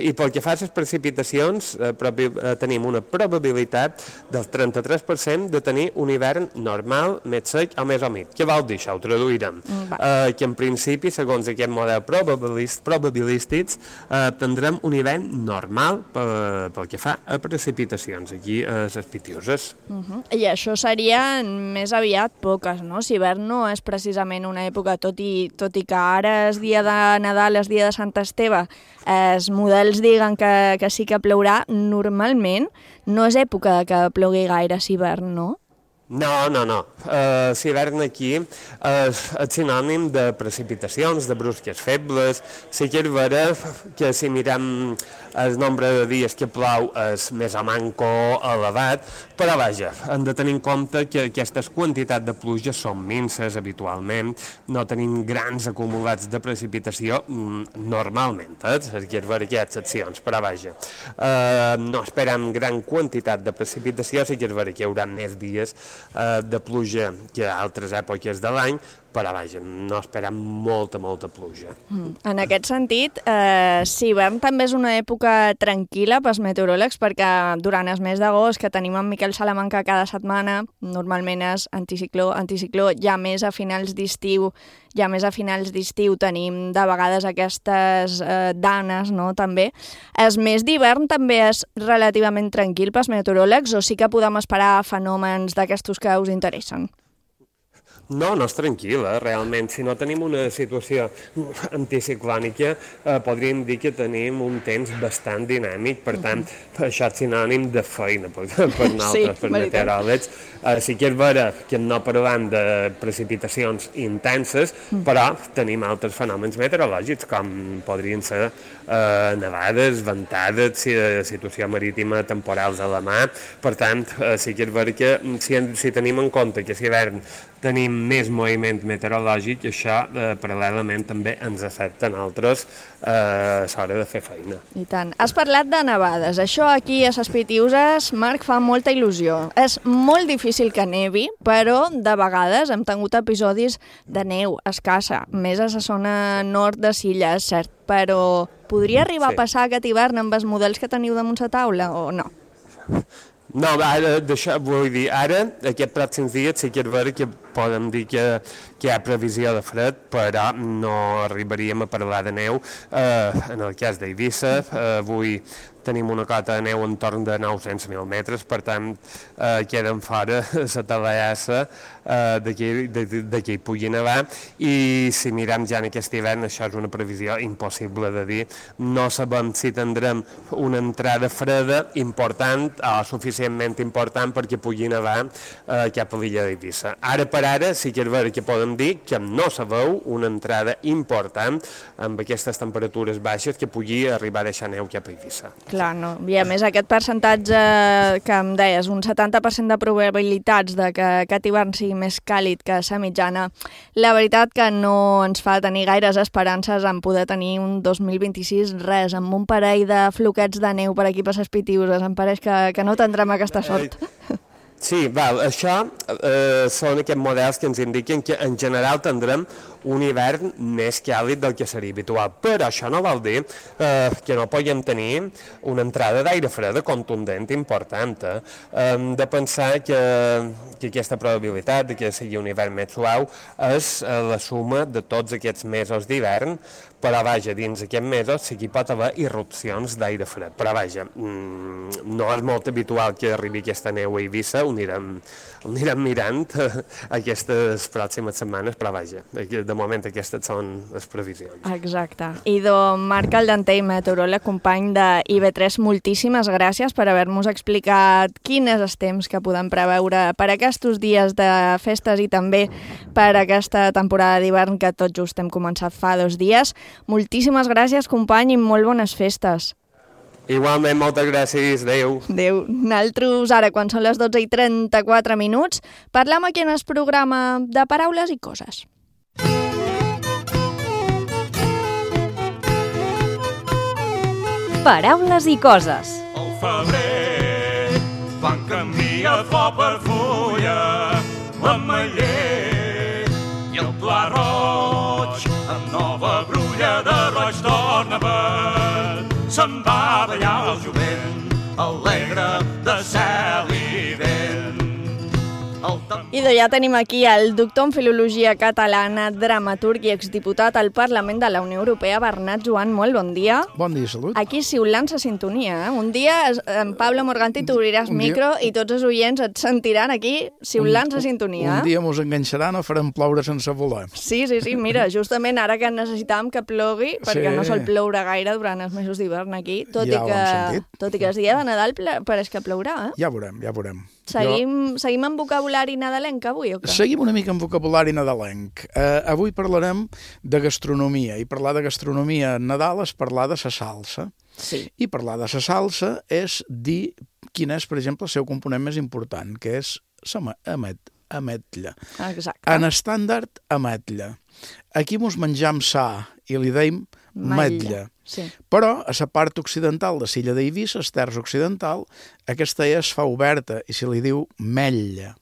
i pel que fa a les precipitacions eh, propi, eh, tenim una probabilitat del trenta-tres per cent de tenir un hivern normal, més sec o més humit. Què vol dir això? Ho traduirem. Mm, eh, que en principi, segons aquest model probabilist, probabilístics, eh, tindrem un hivern normal pel, pel que fa a precipitacions aquí a les Pitiuses. Uh -huh. I això serien més aviat poques, no? Si hivern no és precisament una època tot i, tot i que ara és dia de Nadal, és dia de Sant Esteve, els models diguen que, que sí que plourà, normalment no és època de que plogui gaire si hivern, no? No, no, no. Uh, l'hivern aquí és, és sinònim de precipitacions, de brusques febles. Sí que és vera que si mirem el nombre de dies que plou és més o manco elevat, però vaja, hem de tenir en compte que aquestes quantitats de pluja són minces habitualment, no tenim grans acumulats de precipitació mm, normalment, eh? És que és vera que hi ha excepcions, però vaja, uh, no esperem gran quantitat de precipitació, sí que és vera que hi haurà més dies uh, de pluja que a altres èpoques de l'any, però vaja, no esperem molta, molta pluja. Mm. En aquest sentit, eh, sí, hivern també és una època tranquil·la pels meteoròlegs, perquè durant el mes d'agost, que tenim en Miquel Salamanca cada setmana, normalment és anticicló, anticicló, ja més a finals d'estiu, ja més a finals d'estiu tenim de vegades aquestes eh, danes, no?, també. El mes d'hivern també és relativament tranquil pels meteoròlegs, o sí que podem esperar fenòmens d'aquestos que us interessen? No, no és tranquil·la, realment. Si no tenim una situació anticiclònica, eh, podríem dir que tenim un temps bastant dinàmic, per tant, uh-huh. això és sinònim de feina per, per nosaltres, sí, per meteoròlegs. Eh, sí que és vera que no parlem de precipitacions intenses, uh-huh. però tenim altres fenòmens meteorològics, com podrien ser eh, nevades, ventades, situació marítima temporals a la mà. Per tant, eh, sí que és vera que si, si tenim en compte que si hivern tenim més moviment meteorològic, això eh, paral·lelament també ens afecta a nosaltres eh, a l'hora de fer feina. I tant. Has parlat de nevades. Això aquí a Ses Pitiuses, Marc, fa molta il·lusió. És molt difícil que nevi, però de vegades hem tingut episodis de neu escassa, més a la zona nord de Silla, és cert, però podria arribar sí. a passar aquest hivern amb els models que teniu damunt la taula o no? No, ara, d'això vull dir, ara, aquests pròxims dies sí que és vera que podem dir que, que hi ha previsió de fred, però no arribaríem a parlar de neu. Eh, en el cas d'Eivissa, eh, avui tenim una cota de neu entorn de nou-cents mil metres, per tant, eh, queden fora la talaiassa eh, de que hi pugui nevar, i si mirem ja en aquest hivern, això és una previsió impossible de dir. No sabem si tindrem una entrada freda important o suficientment important perquè pugui nevar eh, cap a l'illa d'Eivissa. Ara per ara sí que és vera que podem dir que no se veu una entrada important amb aquestes temperatures baixes que pugui arribar a deixar neu cap a Eivissa. Clar, no. I a més aquest percentatge que em deies, un setanta per cent de probabilitats de que aquest hivern sigui més càlid que la mitjana, la veritat que no ens fa tenir gaires esperances en poder tenir un dos mil vint-i-sis res, amb un parell de floquets de neu per aquí per Ses Pitiuses. Em pareix que, que no tindrem aquesta sort. Sí, val, això eh, són aquests models que ens indiquen que en general tindrem un hivern més càlid del que seria habitual. Però això no vol dir eh, que no puguem tenir una entrada d'aire fred contundent important. Eh? Hem de pensar que, que aquesta probabilitat de que sigui un hivern més suau és eh, la suma de tots aquests mesos d'hivern, però vaja, dins aquests mesos sí que hi pot haver irrupcions d'aire fred. Però vaja, mmm, no és molt habitual que arribi aquesta neu a Eivissa, ho anirem, ho anirem mirant aquestes pròximes setmanes, però vaja, de moment aquestes són les previsions. Exacte. Idò Marc Aldantell, meteoròleg, company de I V tres, moltíssimes gràcies per haver-nos explicat quin és el temps que podem preveure per aquests dies de festes i també per aquesta temporada d'hivern que tot just hem començat fa dos dies. Moltíssimes gràcies, company, i molt bones festes. Igualment, moltes gràcies. Adéu. Adéu. Nosaltres, ara, quan són les dotze i trenta-quatre minuts, parlam aquí en el programa de Paraules i Coses. Paraules i Coses. Al febrer, quan canvia flor per fulla, l'ametller i el pla roig, amb nova brulla de roig torna verd. Se'n va a ballar el jovent, alegre de cel i vent. Idò, ja tenim aquí el doctor en Filologia Catalana, dramaturg i exdiputat al Parlament de la Unió Europea, Bernat Joan. Molt bon dia. Bon dia, salut. Aquí xiulant la sintonia, eh? Un dia en Pablo Morganti t'obriràs micro i tots els oients et sentiran aquí xiulant la sintonia. Un dia mos enganxaran o farem ploure sense voler. Sí, sí, sí, mira, justament ara que necessitàvem que plogui, perquè sí. No sol ploure gaire durant els mesos d'hivern aquí, tot, ja i que, tot i que el dia de Nadal pareix que plourà, eh? Ja veurem, ja veurem. Seguim, jo... seguim amb vocabulari nadalenc avui o què? Seguim una mica amb vocabulari nadalenc. Uh, avui parlarem de gastronomia, i parlar de gastronomia en Nadal és parlar de la salsa. Sí. I parlar de la salsa és dir quin és, per exemple, el seu component més important, que és la amet, ametlla. Exacte. En estàndard, ametlla. Aquí mos menjam sa i li deim metlla. Sí. Però a la part occidental de l'illa d'Eivissa, el terç occidental, aquesta es fa oberta i se li diu metlla,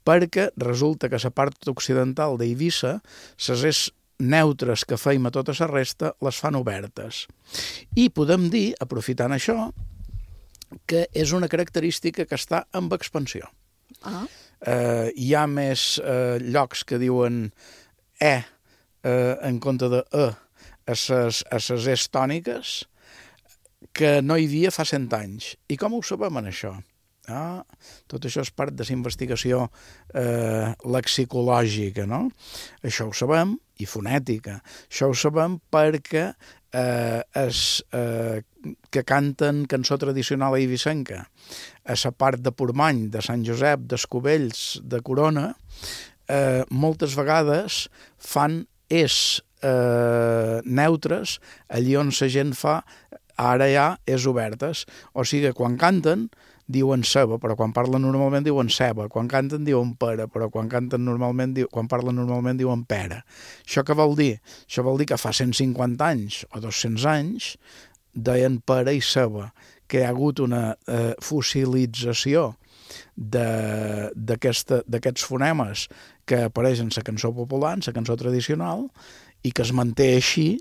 perquè resulta que a la part occidental d'Eivissa les és neutres que feim a tota la resta les fan obertes. I podem dir, aprofitant això, que és una característica que està en expansió. Ah. Eh, hi ha més eh, llocs que diuen E eh, en compte de E a ses, a ses es tòniques que no hi havia fa cent anys. I com ho sabem en això? Ah, tot això és part de la investigació eh, lexicològica, no? Això ho sabem, i fonètica. Això ho sabem perquè eh, es, eh, que canten cançó tradicional eivissenca a la part de Portmany, de Sant Josep, d'Escovells, de Corona, eh, moltes vegades fan es eh, neutres allí on la gent fa ara ja és obertes. O sigui, quan canten diuen ceba, però quan parlen normalment diuen ceba, quan canten diuen pera, però quan canten normalment, quan parlen normalment diuen pera. Això què vol dir? Això vol dir que fa cent cinquanta anys o dos-cents anys deien pera i ceba, que hi ha hagut una eh, fossilització d'aquests fonemes que apareixen en la cançó popular, en la cançó tradicional, i que es manté així,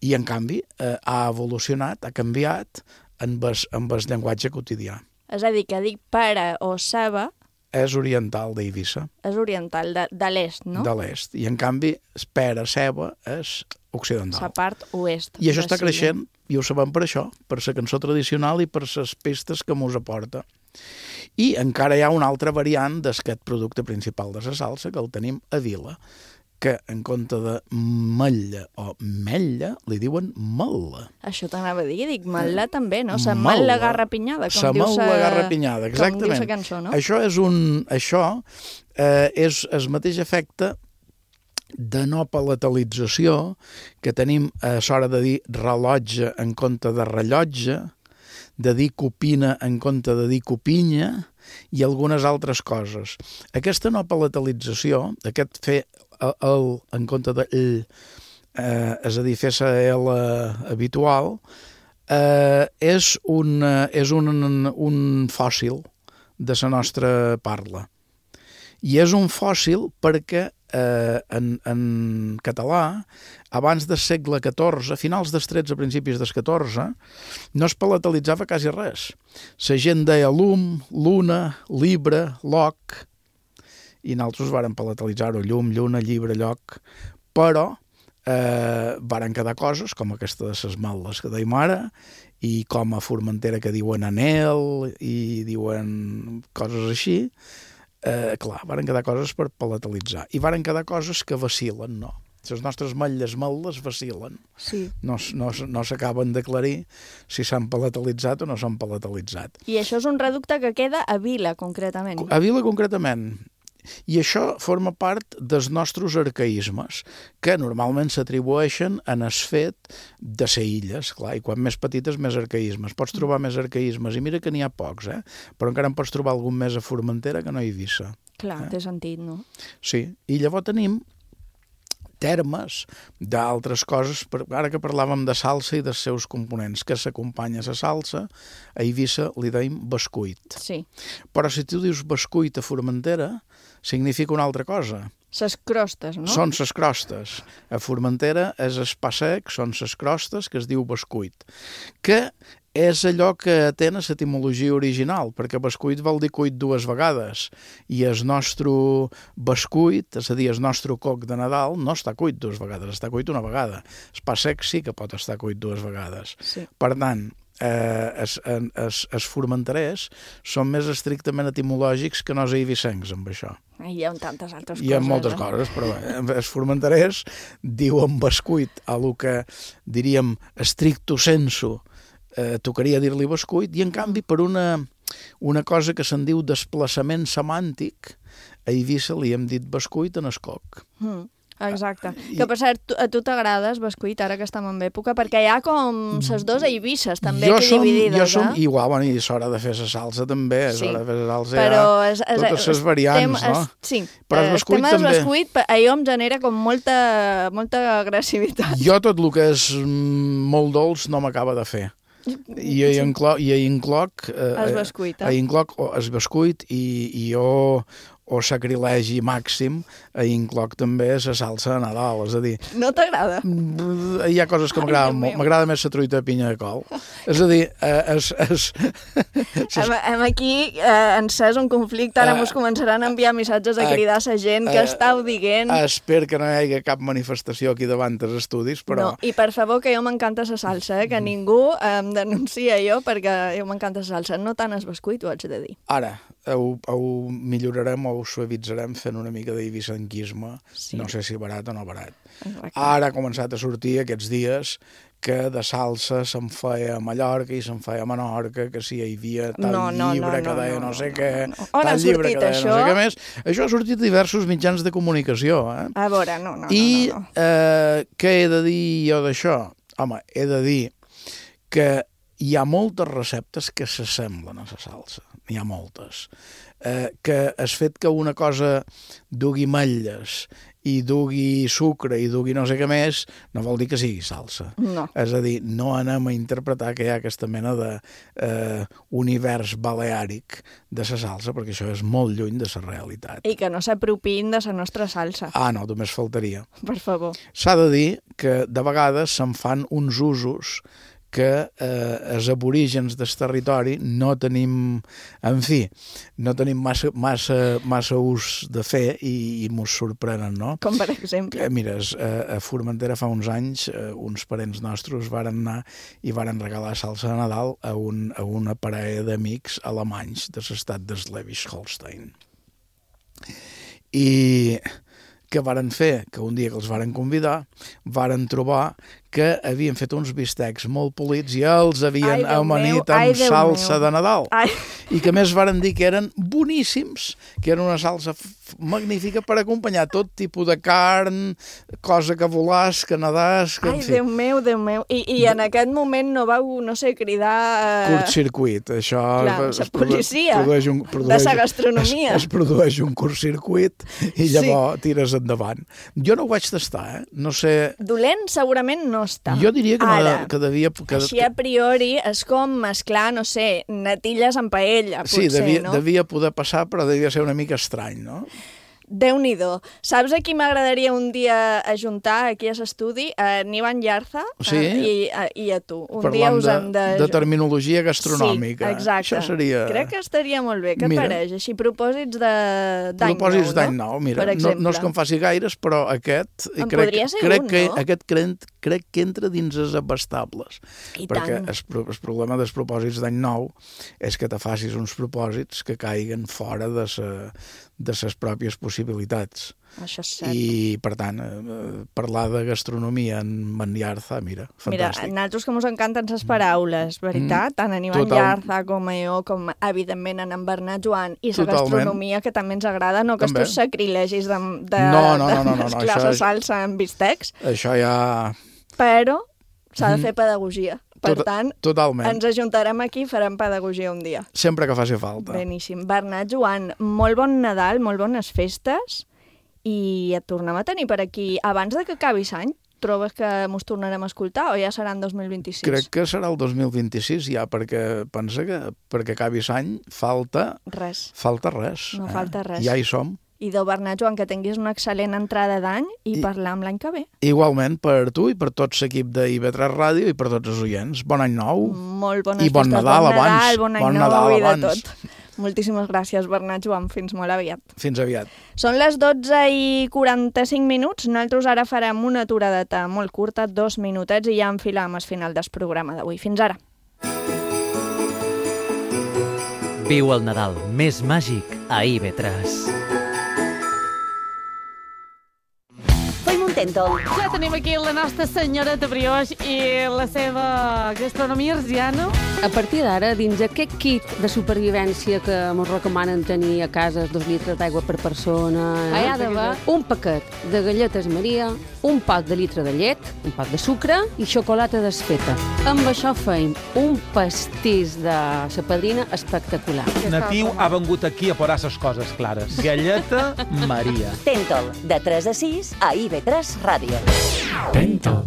i en canvi eh, ha evolucionat, ha canviat amb el, amb el llenguatge quotidià. És a dir, que dic pera o ceba... És oriental d'Eivissa. És oriental, de, de l'est, no? De l'est. I en canvi, pera, ceba, és occidental. La part oest. I això està creixent, i ho sabem per això, per la cançó tradicional i per les pestes que mos aporta. I encara hi ha una altra variant d'aquest producte principal de la salsa, que el tenim a Vila, que en compte de mella o mella li diuen malla. Això t'anava a dir, dic malla també, no? Sa malla garrapinyada, com diu sa... Sa malla garrapinyada, exactament. Com diu sa cançó, no? Això és un... Això eh, és el mateix efecte de no palatalització que tenim a l'hora de dir rellotge en compte de rellotge, de dir copina en compte de dir copinya i algunes altres coses. Aquesta no palatalització, aquest fer el, el en compte de l, eh, és a dir, fer la L habitual, eh, és, un, és un, un fòssil de la nostra parla. I és un fòssil perquè eh, en, en català, abans del segle catorze, a finals del tretze, principis del catorze, no es palatalitzava quasi res. La gent deia llum, luna, libre, lloc, i nosaltres vàrem palatalitzar-ho, llum, lluna, llibre, lloc, però eh, varen quedar coses com aquesta de les malles que deim ara, i com a Formentera que diuen anel i diuen coses així, eh, clar, varen quedar coses per palatalitzar. I varen quedar coses que vacil·len, no? Les nostres malles malles vacil·len. Sí. No, no, no s'acaben d'aclarir si s'han palatalitzat o no s'han palatalitzat. I això és un reducte que queda a Vila, concretament. A Vila, concretament. I això forma part dels nostres arcaïsmes, que normalment s'atribueixen en el fet de ser illes, clar, i quan més petites més arcaïsmes. Pots trobar més arcaïsmes, i mira que n'hi ha pocs, eh? Però encara en pots trobar algun més a Formentera que no a Eivissa. Clar, eh? té sentit, no? Sí, i llavors tenim termes d'altres coses, ara que parlàvem de salsa i dels seus components, que s'acompanya a la salsa, a Eivissa li deim bescuit. Sí. Però si tu dius bescuit a Formentera, significa una altra cosa. Ses crostes, no? Són ses crostes. A Formentera és el pa sec, són ses crostes, que es diu bescuit, que és allò que té l'etimologia original, perquè bescuit vol dir cuit dues vegades, i el nostre bescuit, és a dir, el nostre coc de Nadal, no està cuit dues vegades, està cuit una vegada. El pa sec sí que pot estar cuit dues vegades. Sí. Per tant, eh, els, els, els formenterers són més estrictament etimològics que no els eivissencs amb això. Hi ha tantes altres coses. Hi ha moltes eh? coses, però els formenterers diuen bescuit a lo que diríem stricto sensu, Eh, tocaria dir-li bescuit, i en canvi per una, una cosa que se'n diu desplaçament semàntic, a Eivissa li hem dit bescuit en escoc. Mm, exacte. I... Que per cert, a tu t'agrades bescuit ara que estem en època, perquè hi ha com ses dos Eivisses també jo aquí som, dividides. Jo som eh? igual, bueno, i és hora de fer la salsa també, és sí. hora de fer la salsa, però ja, és, és, totes les variants, estem, no? Es, sí, però el bescuit tema també... del bescuit, allò em genera com molta, molta agressivitat. Jo tot el que és molt dolç no m'acaba de fer. I a incloc, i a incloc eh, el bescuit, eh? a incloc el bescuit i, i jo o sacrilegi màxim, a incloc també la salsa de Nadal, és a dir... No t'agrada? Hi ha coses que m'agraden molt, m'agrada més la truita de pinya de col. És a dir, eh, es... es, es... Hem, hem aquí eh, encès un conflicte, ara uh, mos començaran a enviar missatges a cridar a la gent, uh, que estàu dient... Espero que no hi hagi cap manifestació aquí davant dels estudis, però... No, i per favor, que jo m'encanta la salsa, eh? Que ningú em denuncia jo, perquè jo m'encanta la salsa, no tant el bescuit, ho haig de dir. Ara, ho, ho millorarem o ho suavitzarem fent una mica d'eivissenquisme, sí. No sé si barat o no barat. Exacte. Ara ha començat a sortir aquests dies que de salsa se'n feia a Mallorca i se'n feia a Menorca, que si hi havia tal no, no, llibre no, que deia no, no, no sé què, no, no. tal llibre que deia això? no sé què més. Això ha sortit a diversos mitjans de comunicació. Eh? A veure, no, no, I no, no, no. Eh, què he de dir jo d'això? Home, he de dir que hi ha moltes receptes que s'assemblen a la salsa. N'hi ha moltes. Eh, que el fet que una cosa dugui ametlles i dugui sucre i dugui no sé què més, no vol dir que sigui salsa. No. És a dir, no anem a interpretar que hi ha aquesta mena de eh, univers baleàric de la salsa, perquè això és molt lluny de la realitat. I que no s'apropin de la nostra salsa. Ah, no, només faltaria. Per favor. S'ha de dir que de vegades se'n fan uns usos que eh, els aborígens del territori no tenim, en fi, no tenim massa, massa, massa ús de fer i, i mos sorprenen, no? Com per exemple? Que, mira, a, a Formentera fa uns anys eh, uns parents nostres varen anar i varen regalar salsa de Nadal a, un, a una parella d'amics alemanys de l'estat de Schleswig-Holstein. I què varen fer? Que un dia que els varen convidar, varen trobar que havien fet uns bistecs molt polits i els havien ai, amanit amb salsa meu. de Nadal. Ai. I que més varen dir que eren boníssims, que era una salsa magnífica per acompanyar tot tipus de carn, cosa que volàs, que nedàs... Que, ai, Déu meu, Déu meu. I, i en aquest moment no vau, no sé, cridar... Uh... Curtcircuit, això... Clar, es, es policia produeix un, produeix, de la gastronomia. Es, es produeix un curtcircuit i llavors sí. tires endavant. Jo no ho vaig tastar, eh? No sé... Dolent segurament no està. Jo diria que, Ara, no, que devia... Que... Així a priori és com mesclar, no sé, natilles amb paella, potser, sí, devia, no? devia poder passar, però devia ser una mica estrany, no? Déu-n'hi-do. Saps a qui m'agradaria un dia ajuntar aquí a l'estudi? A Nivan Yarza sí? uh, i, a, i a tu. Un Parlant dia us hem de... de terminologia gastronòmica. Sí, exacte. Això seria... Crec que estaria molt bé. Què et mira, pareix? Així, propòsits d'any nou, propòsits d'any no? nou, mira, no, no és que em faci gaires, però aquest... En crec, podria ser crec un, que, no? Aquest crec, crec que entra dins els abastables. I perquè tant. el, el problema dels propòsits d'any nou és que te facis uns propòsits que caiguen fora de, sa, de les pròpies possibilitats. Això és cert. I, per tant, eh, parlar de gastronomia en Manllarza, mira, fantàstic. Mira, a nosaltres que ens encanten les paraules, veritat? Mm, tant en Ivan Yarza com a jo, com evidentment en en Bernat Joan, i la gastronomia, que també ens agrada, no que també. estos sacrilegis de, de, no, no, no, no, no, de no, mesclar la això, salsa amb bistecs. Això ja... Però s'ha de Mhm. fer pedagogia. Per Tot, tant, totalment. ens ajuntarem aquí i farem pedagogia un dia. Sempre que faci falta. Beníssim. Bernat Joan, molt bon Nadal, molt bones festes, i et tornem a tenir per aquí abans de que acabi l'any. Trobes que mos tornarem a escoltar o ja serà en dos mil vint-i-sis? Crec que serà el dos mil vint-i-sis ja, perquè pensa que perquè acabi l'any falta... Res. Falta res. No eh? falta res. Ja hi som. I de Bernat Joan, que tinguis una excel·lent entrada d'any i, I parlam l'any que ve. Igualment per tu i per tot l'equip d'I V tres Ràdio i per tots els oients. Bon any nou. Molt bones I bon festes, Nadal bon Nadal, abans. bon any bon nou Nadal i de abans. tot. Moltíssimes gràcies, Bernat Joan. Fins molt aviat. Fins aviat. Són les dotze i quaranta-cinc minuts. Nosaltres ara farem una aturadeta molt curta, dos minutets, i ja enfilam al final del programa d'avui. Fins ara. Viu el Nadal més màgic a I V tres. Ja tenim aquí la nostra senyoreta brioix i la seva gastronomia arsiana. A partir d'ara, dins aquest kit de supervivència que ens recomanen tenir a casa, dos litres d'aigua per persona, eh? hi ha d'haver un paquet de galletes Maria, un pot de litre de llet, un pot de sucre i xocolata desfeta. Amb això feim un pastís de sa padrina espectacular. Natiu ha vengut aquí a posar les coses clares. Galleta Maria. Tentol, de tres a sis a I V tres Ràdio. Tentol.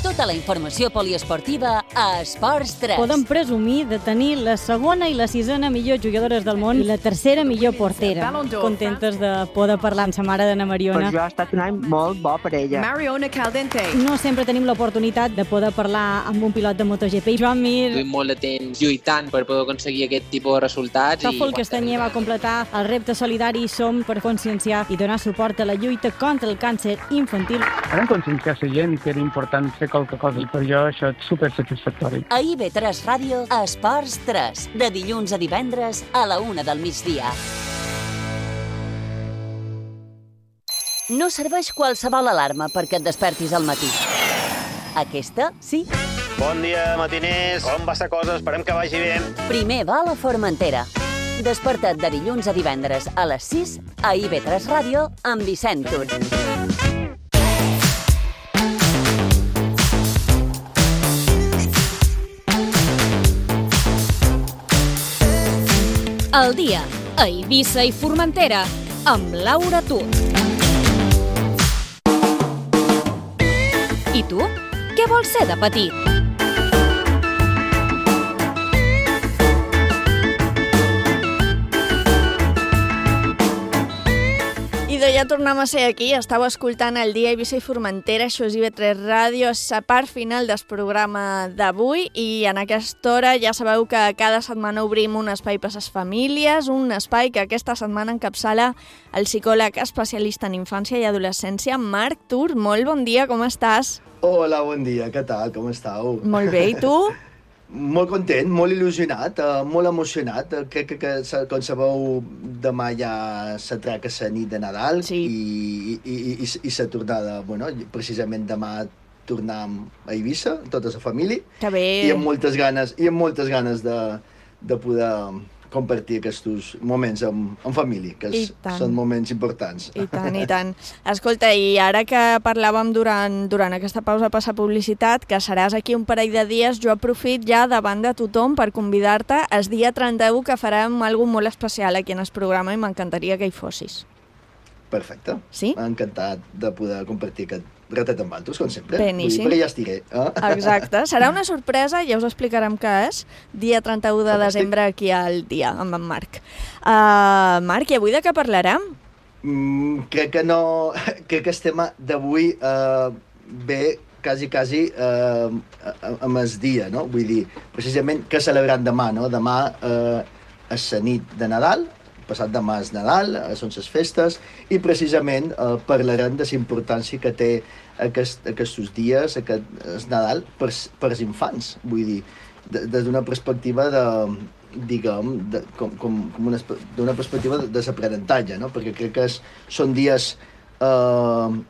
Tota la informació poliesportiva a Esports tres. Podem presumir de tenir la segona i la sisena millor jugadores del món i la tercera millor portera. Contentes de poder parlar amb sa mare d'Anna Mariona. Per jo ha estat un any molt bo per ella. Mariona Caldente. No sempre tenim l'oportunitat de poder parlar amb un pilot de MotoGP. Joan Mir. Duim molt de temps lluitant per poder aconseguir aquest tipus de resultats. Tòfol Castanyer va completar el repte solidari Som per conscienciar i donar suport a la lluita contra el càncer infantil. Vam conscienciar la gent que era important fer qualque cosa i per jo això és supersatisfactori. A I V tres Ràdio, Esports tres, de dilluns a divendres a la una del migdia. No serveix qualsevol alarma perquè et despertis al matí. Aquesta, sí. Bon dia, matiners. Com va la cosa? Esperem que vagi bé. Primer va a la Formentera. Desperta't de dilluns a divendres a les sis a I V tres Ràdio amb Vicent Tur. El dia a Eivissa i Formentera amb Laura Tur. I tu? Què vols ser de petit? Ja tornem a ser aquí, estàu escoltant el dia Eivissa i Formentera, això és I V tres Ràdio, és la part final del programa d'avui i en aquesta hora ja sabeu que cada setmana obrim un espai per a les famílies, un espai que aquesta setmana encapçala el psicòleg especialista en infància i adolescència, Marc Tur. Molt bon dia, com estàs? Hola, bon dia, què tal, com estàu? Molt bé, i tu? Molt content, molt il·lusionat, uh, molt emocionat. Crec que, que, que, com sabeu, demà ja s'atraca la nit de Nadal sí. i, i, i, i, i la tornada, bueno, precisament demà tornem a Eivissa, tota la família. Que bé. I amb moltes ganes, i amb moltes ganes de, de poder compartir aquests moments amb, amb família, que és, són moments importants. I tant, i tant. Escolta, i ara que parlàvem durant, durant aquesta pausa per la publicitat, que seràs aquí un parell de dies, jo aprofit ja davant de tothom per convidar-te el dia trenta-u, que farem alguna molt especial aquí en el programa i m'encantaria que hi fossis. Perfecte. Sí? Encantat de poder compartir aquest ratet amb altres, com sempre. Beníssim. Perquè ja estiré. Eh? Exacte. Serà una sorpresa, ja us explicarem què és, dia trenta-u de desembre aquí al dia, amb en Marc. Uh, Marc, i avui de què parlarem? mm, crec que no... Crec que el tema d'avui eh, ve quasi, quasi eh, amb el dia, no? Vull dir, precisament, què celebrant demà, no? Demà eh, és la nit de Nadal, passat demà és Nadal, eh, són les festes, i precisament eh, parlarem de la importància que té aquest, aquests dies, aquest és Nadal, per, per als infants. Vull dir, des d'una perspectiva de, diguem, de, com, com, com una, d'una perspectiva de, de l'aprenentatge, no? Perquè crec que és, són dies eh,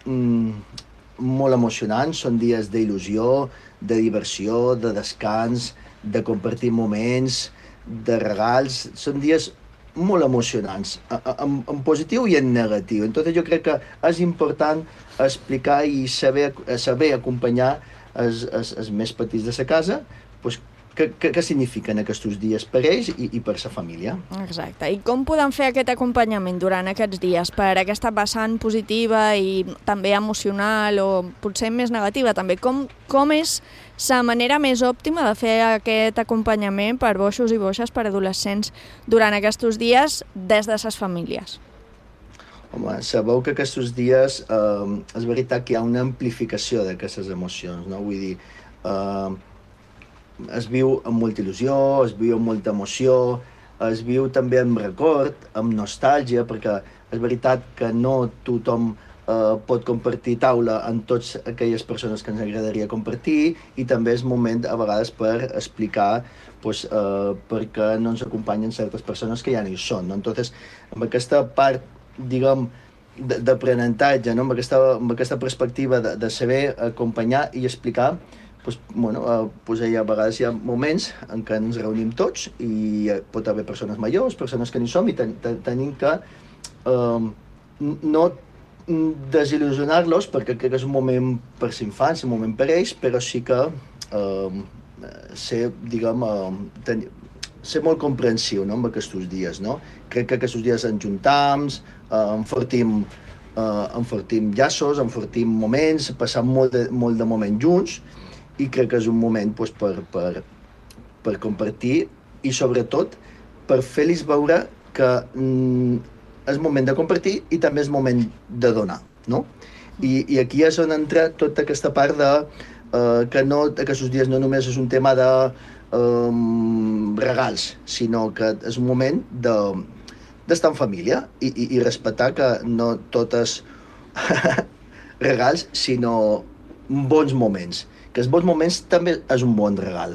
mm, molt emocionants, són dies d'il·lusió, de diversió, de descans, de compartir moments, de regals, són dies molt emocionants, en, en positiu i en negatiu. Entonces jo crec que és important explicar i saber, saber acompanyar els, els, els més petits de la casa, pues, què, què, què signifiquen aquests dies per ells i, i per la família. Exacte. I com podem fer aquest acompanyament durant aquests dies per aquesta vessant positiva i també emocional o potser més negativa també? Com, com és la manera més òptima de fer aquest acompanyament per boixos i boixes, per adolescents, durant aquests dies des de les famílies? Home, sabeu que aquests dies eh, és veritat que hi ha una amplificació d'aquestes emocions, no? Vull dir, eh, es viu amb molta il·lusió, es viu amb molta emoció, es viu també amb record, amb nostàlgia, perquè és veritat que no tothom eh, pot compartir taula amb totes aquelles persones que ens agradaria compartir, i també és moment a vegades per explicar pues, eh, per què no ens acompanyen certes persones que ja no hi són, no? Entonces, amb aquesta part, diguem, d'aprenentatge, no? amb, aquesta, amb aquesta perspectiva de, de saber acompanyar i explicar, pues, bueno, eh, pues hi ha, a vegades hi ha moments en què ens reunim tots i pot haver persones majors, persones que n'hi som, i ten, ten, tenim que eh, no desil·lusionar-los, perquè crec que és un moment per als infants, un moment per ells, però sí que eh, ser, diguem, eh, ten, ser molt comprensiu, no?, amb aquests dies, no? Crec que aquests dies ens juntam, eh, enfortim, eh, enfortim llaços, enfortim moments, passam molt de, molt de moments junts, i crec que és un moment pues, per, per, per compartir i sobretot per fer-los veure que mm, és moment de compartir i també és moment de donar, no? I, i aquí és on entra tota aquesta part de eh, que no, aquests dies no només és un tema de eh, regals, sinó que és un moment de, d'estar en família i, i, i respectar que no totes regals, sinó bons moments. Que els bons moments també és un bon regal.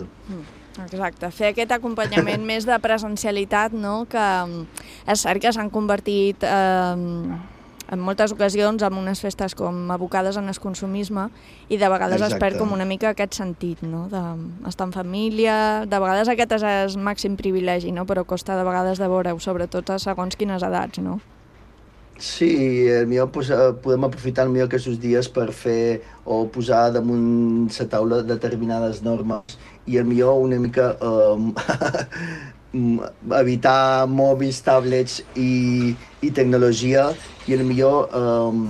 Exacte, fer aquest acompanyament més de presencialitat, no? Que és cert que s'han convertit eh, en moltes ocasions en unes festes com abocades en el consumisme i de vegades Exacte. Es perd com una mica aquest sentit, no? D'estar en família, de vegades aquest és el màxim privilegi, no? Però costa de vegades de veure-ho, sobretot a segons quines edats, no? Sí, millor, pues, podem aprofitar millor aquests dies per fer o posar damunt la taula determinades normes i millor una mica eh, evitar mòbils, tablets i, i tecnologia i millor eh,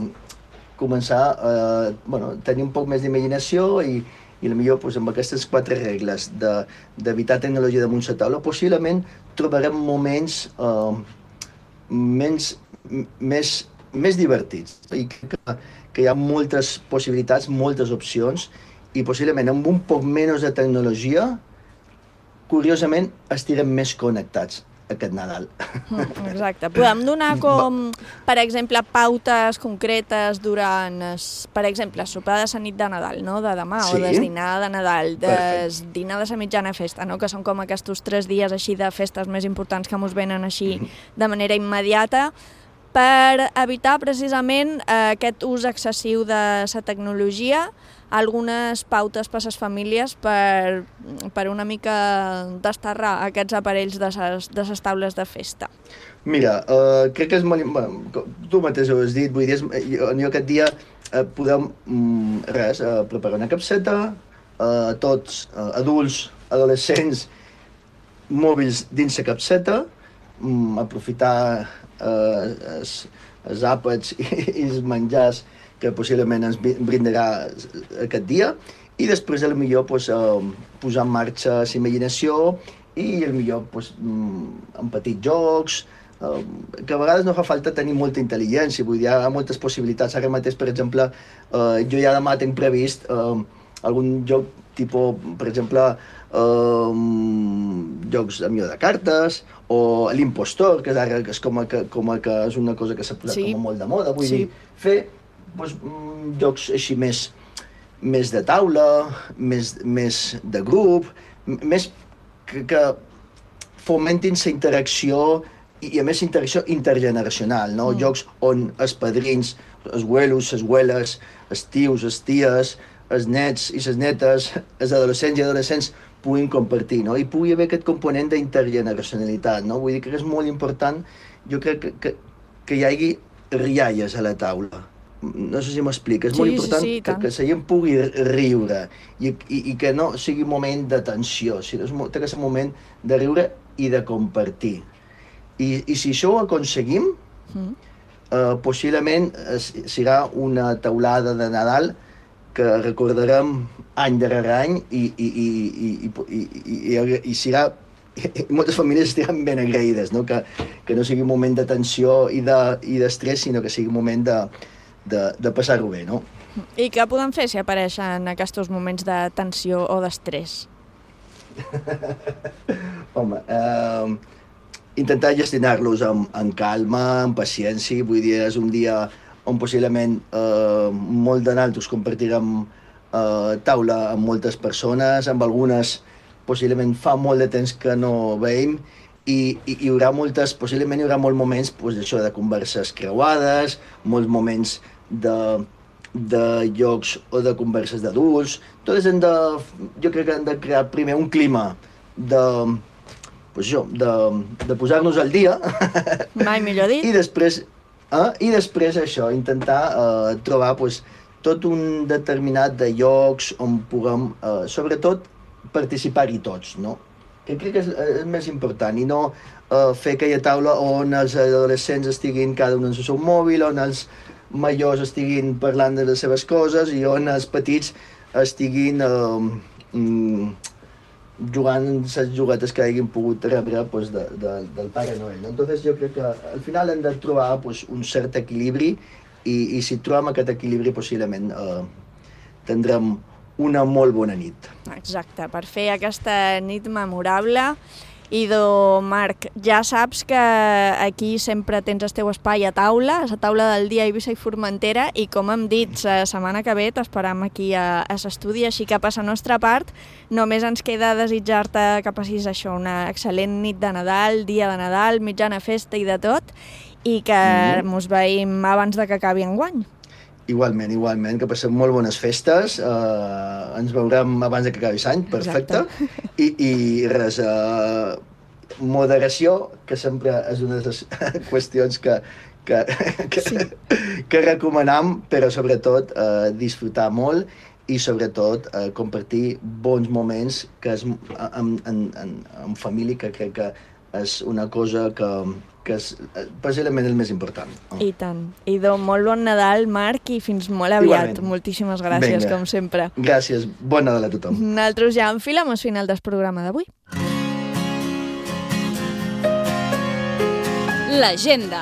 començar a eh, bueno, tenir un poc més d'imaginació i, i millor pues, amb aquestes quatre regles d'evitar de, tecnologia damunt la taula possiblement trobarem moments eh, menys Més, més divertits. I crec que, que hi ha moltes possibilitats, moltes opcions, i possiblement amb un poc menys de tecnologia, curiosament, estirem més connectats aquest Nadal. Exacte. Podem donar com, per exemple, pautes concretes durant, per exemple, sopar de la nit de Nadal, no? De demà, sí. O del dinar de Nadal, del dinar de la mitjana festa, no? Que són com aquests tres dies així de festes més importants que ens venen així de manera immediata, per evitar precisament eh, aquest ús excessiu de la tecnologia, algunes pautes per a les famílies per, per una mica desterrar aquests aparells de les, de les taules de festa. Mira, uh, crec que és molt... Bueno, tu mateix ho has dit, vull dir, jo, jo aquest dia uh, podem, um, res, uh, preparar una capseta, uh, tots, uh, adults, adolescents, mòbils dins la capseta, um, aprofitar uh, els, els àpats i, i els menjars que possiblement ens brindarà aquest dia, i després potser pues, uh, posar en marxa la imaginació i potser pues, um, en petits jocs, uh, que a vegades no fa falta tenir molta intel·ligència, vull dir, hi ha moltes possibilitats. Ara mateix, per exemple, uh, jo ja demà tinc previst uh, algun joc tipus, per exemple, uh, jocs de de cartes, o l'impostor, que ara és com a que, com a que és una cosa que s'ha posat sí. com a molt de moda, vull sí. dir, fer doncs, jocs així més, més de taula, més, més de grup, més que, que fomentin la interacció i, a més, interacció intergeneracional, no? Mm. Jocs on els padrins, els abuelos, les abueles, els tios, les ties, els nets i les netes, els adolescents i adolescents puguin compartir, no? I pugui haver aquest component d'intergeneracionalitat, no? Vull dir que és molt important, jo crec que, que, que hi hagi rialles a la taula. No sé si m'explica, és sí, molt important sí, sí, que, que la gent pugui riure i, i, i que no sigui un moment de tensió, sinó que és un moment de riure i de compartir. I, i si això ho aconseguim, mm. eh, possiblement serà una taulada de Nadal que recordarem any darrere any i, i, i, i, i, i, i, i serà, i moltes famílies estaran ben agraïdes, no? Que, que no sigui un moment de tensió i d'estrès, de, sinó que sigui un moment de, de, de passar-ho bé, no? I què podem fer si apareixen aquests moments de tensió o d'estrès? Home, eh, intentar gestionar-los amb, amb calma, amb paciència, vull dir, és un dia on possiblement eh, molt de naltros compartirem eh, taula amb moltes persones, amb algunes possiblement fa molt de temps que no veiem, i, i hi haurà moltes, possiblement hi haurà molts moments pues, això de converses creuades, molts moments de, de jocs o de converses d'adults. Totes hem de, jo crec que hem de crear primer un clima de, pues això, de, de posar-nos al dia. Mai millor dit. I després, eh, i després això, intentar eh, trobar pues, tot un determinat de llocs on puguem, eh, sobretot, participar-hi tots, no? Que crec que és, és més important, i no eh, fer aquella taula on els adolescents estiguin cada un en el seu mòbil, on els majors estiguin parlant de les seves coses i on els petits estiguin eh, mm, jugant les juguetes que hagin pogut rebre pues, de, de, del Pare Noel. No? Entonces jo crec que al final hem de trobar pues, un cert equilibri i, i si trobem aquest equilibri possiblement eh, tindrem una molt bona nit. Exacte, per fer aquesta nit memorable. Idò, Marc, ja saps que aquí sempre tens el teu espai a taula, a la taula del dia a Eivissa i Formentera, i com hem dit, la setmana que ve t'esperam aquí a, a l'estudi, així que per la nostra part només ens queda desitjar-te que passis això, una excel·lent nit de Nadal, dia de Nadal, mitjana festa i de tot, i que mm. mos veiem abans de que acabi enguany. Igualment, igualment, que passem molt bones festes, eh, ens veurem abans que acabi l'any, perfecte, i, i res, eh, moderació, que sempre és una de les qüestions que, que, que, sí. que recomanam, però sobretot eh, disfrutar molt i sobretot eh, compartir bons moments que és en, en, en, en família, que crec que és una cosa que... que és possiblement el més important. Oh. I tant. Idò, molt bon Nadal, Marc, i fins molt aviat. Igualment. Moltíssimes gràcies, Venga. Com sempre. Gràcies. Bon Nadal a tothom. Nosaltres ja enfilem al final del programa d'avui. L'agenda.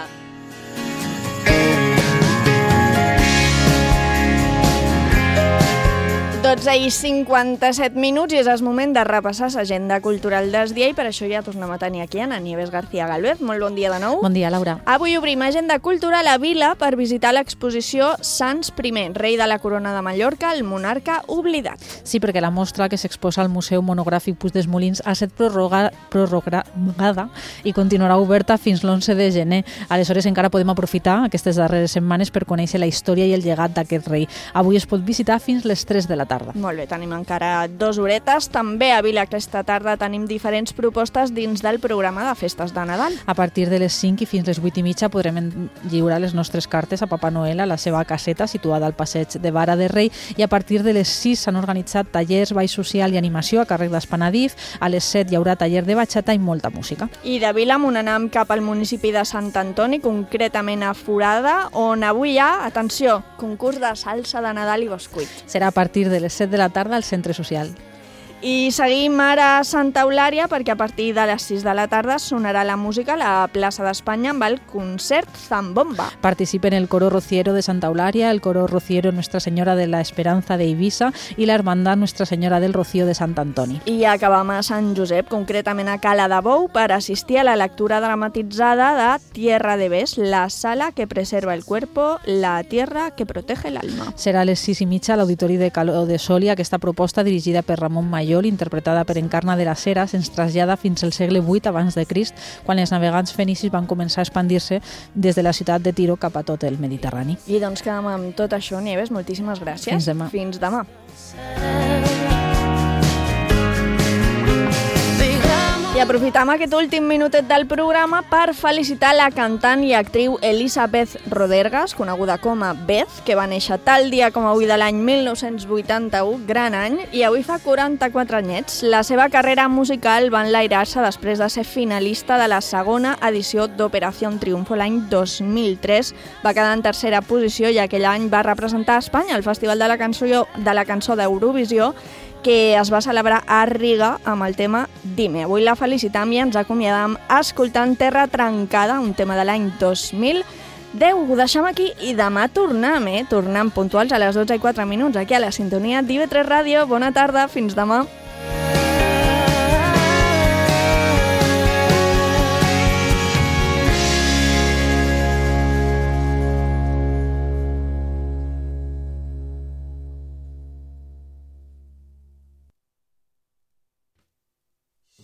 dotze i cinquanta-set minuts i és el moment de repassar l'agenda cultural del dia i per això ja tornem a tenir aquí Ana Nieves García Galvez. Molt bon dia de nou. Bon dia, Laura. Avui obrim agenda cultural a Vila per visitar l'exposició Sants primer, rei de la corona de Mallorca, el monarca oblidat. Sí, perquè la mostra que s'exposa al Museu Monogràfic Puig dels Molins ha estat prorroga, prorrogada i continuarà oberta fins l'onze de gener. Aleshores encara podem aprofitar aquestes darreres setmanes per conèixer la història i el llegat d'aquest rei. Avui es pot visitar fins les tres de la tarda. Molt bé, tenim encara dues horetes. També a Vila aquesta tarda tenim diferents propostes dins del programa de festes de Nadal. A partir de les cinc i fins les vuit i mitja podrem lliurar les nostres cartes a Papa Noel a la seva caseta situada al passeig de Vara de Rei i a partir de les sis s'han organitzat tallers, ball social i animació a càrrec d'Espanadif. A les set hi haurà taller de batxata i molta música. I de Vila m'on anem cap al municipi de Sant Antoni, concretament a Forada, on avui hi ha, atenció, concurs de salsa de Nadal i bescuit. Serà a partir de les set de la tarda al centre social. I seguim ara a Santa Eulària perquè a partir de les sis de la tarda sonarà la música a la plaça d'Espanya amb el concert Zambomba. Participen el coro rociero de Santa Eulària, el coro rociero Nuestra Señora de la Esperanza de Eivissa i la hermandad Nuestra Señora del Rocío de Sant Antoni. I acabam a Sant Josep, concretament a Cala de Bou, per assistir a la lectura dramatitzada de Tierra de Bes, la sala que preserva el cuerpo, la tierra que protege el alma. Serà a les sis i mitja a l'Auditori de Caló de Soli. Aquesta proposta, dirigida per Ramon Mayor, interpretada per Encarna de las Heras, ens trasllada fins al segle vuit abans de Crist, quan els navegants fenicis van començar a expandir-se des de la ciutat de Tiro cap a tot el Mediterrani. I doncs quedem amb tot això, Nieves. Moltíssimes gràcies. Fins demà. Fins demà. I aprofitam aquest últim minutet del programa per felicitar la cantant i actriu Elisabeth Rodergas, coneguda com a Beth, que va néixer tal dia com avui de l'any mil nou-cents vuitanta-u, gran any, i avui fa quaranta-quatre anyets. La seva carrera musical va enlairar-se després de ser finalista de la segona edició d'Operació Triunfo l'any dos mil tres. Va quedar en tercera posició i aquell any va representar a Espanya al Festival de la Cançó de la Cançó d'Eurovisió, que es va celebrar a Riga amb el tema Dime. Avui la felicitam i ens acomiadam escoltant Terra Trencada, un tema de l'any dos mil deu. Ho deixem aquí i demà tornem, eh? Tornem puntuals a les dotze i quatre minuts aquí a la sintonia d'I V tres Ràdio. Bona tarda, fins demà.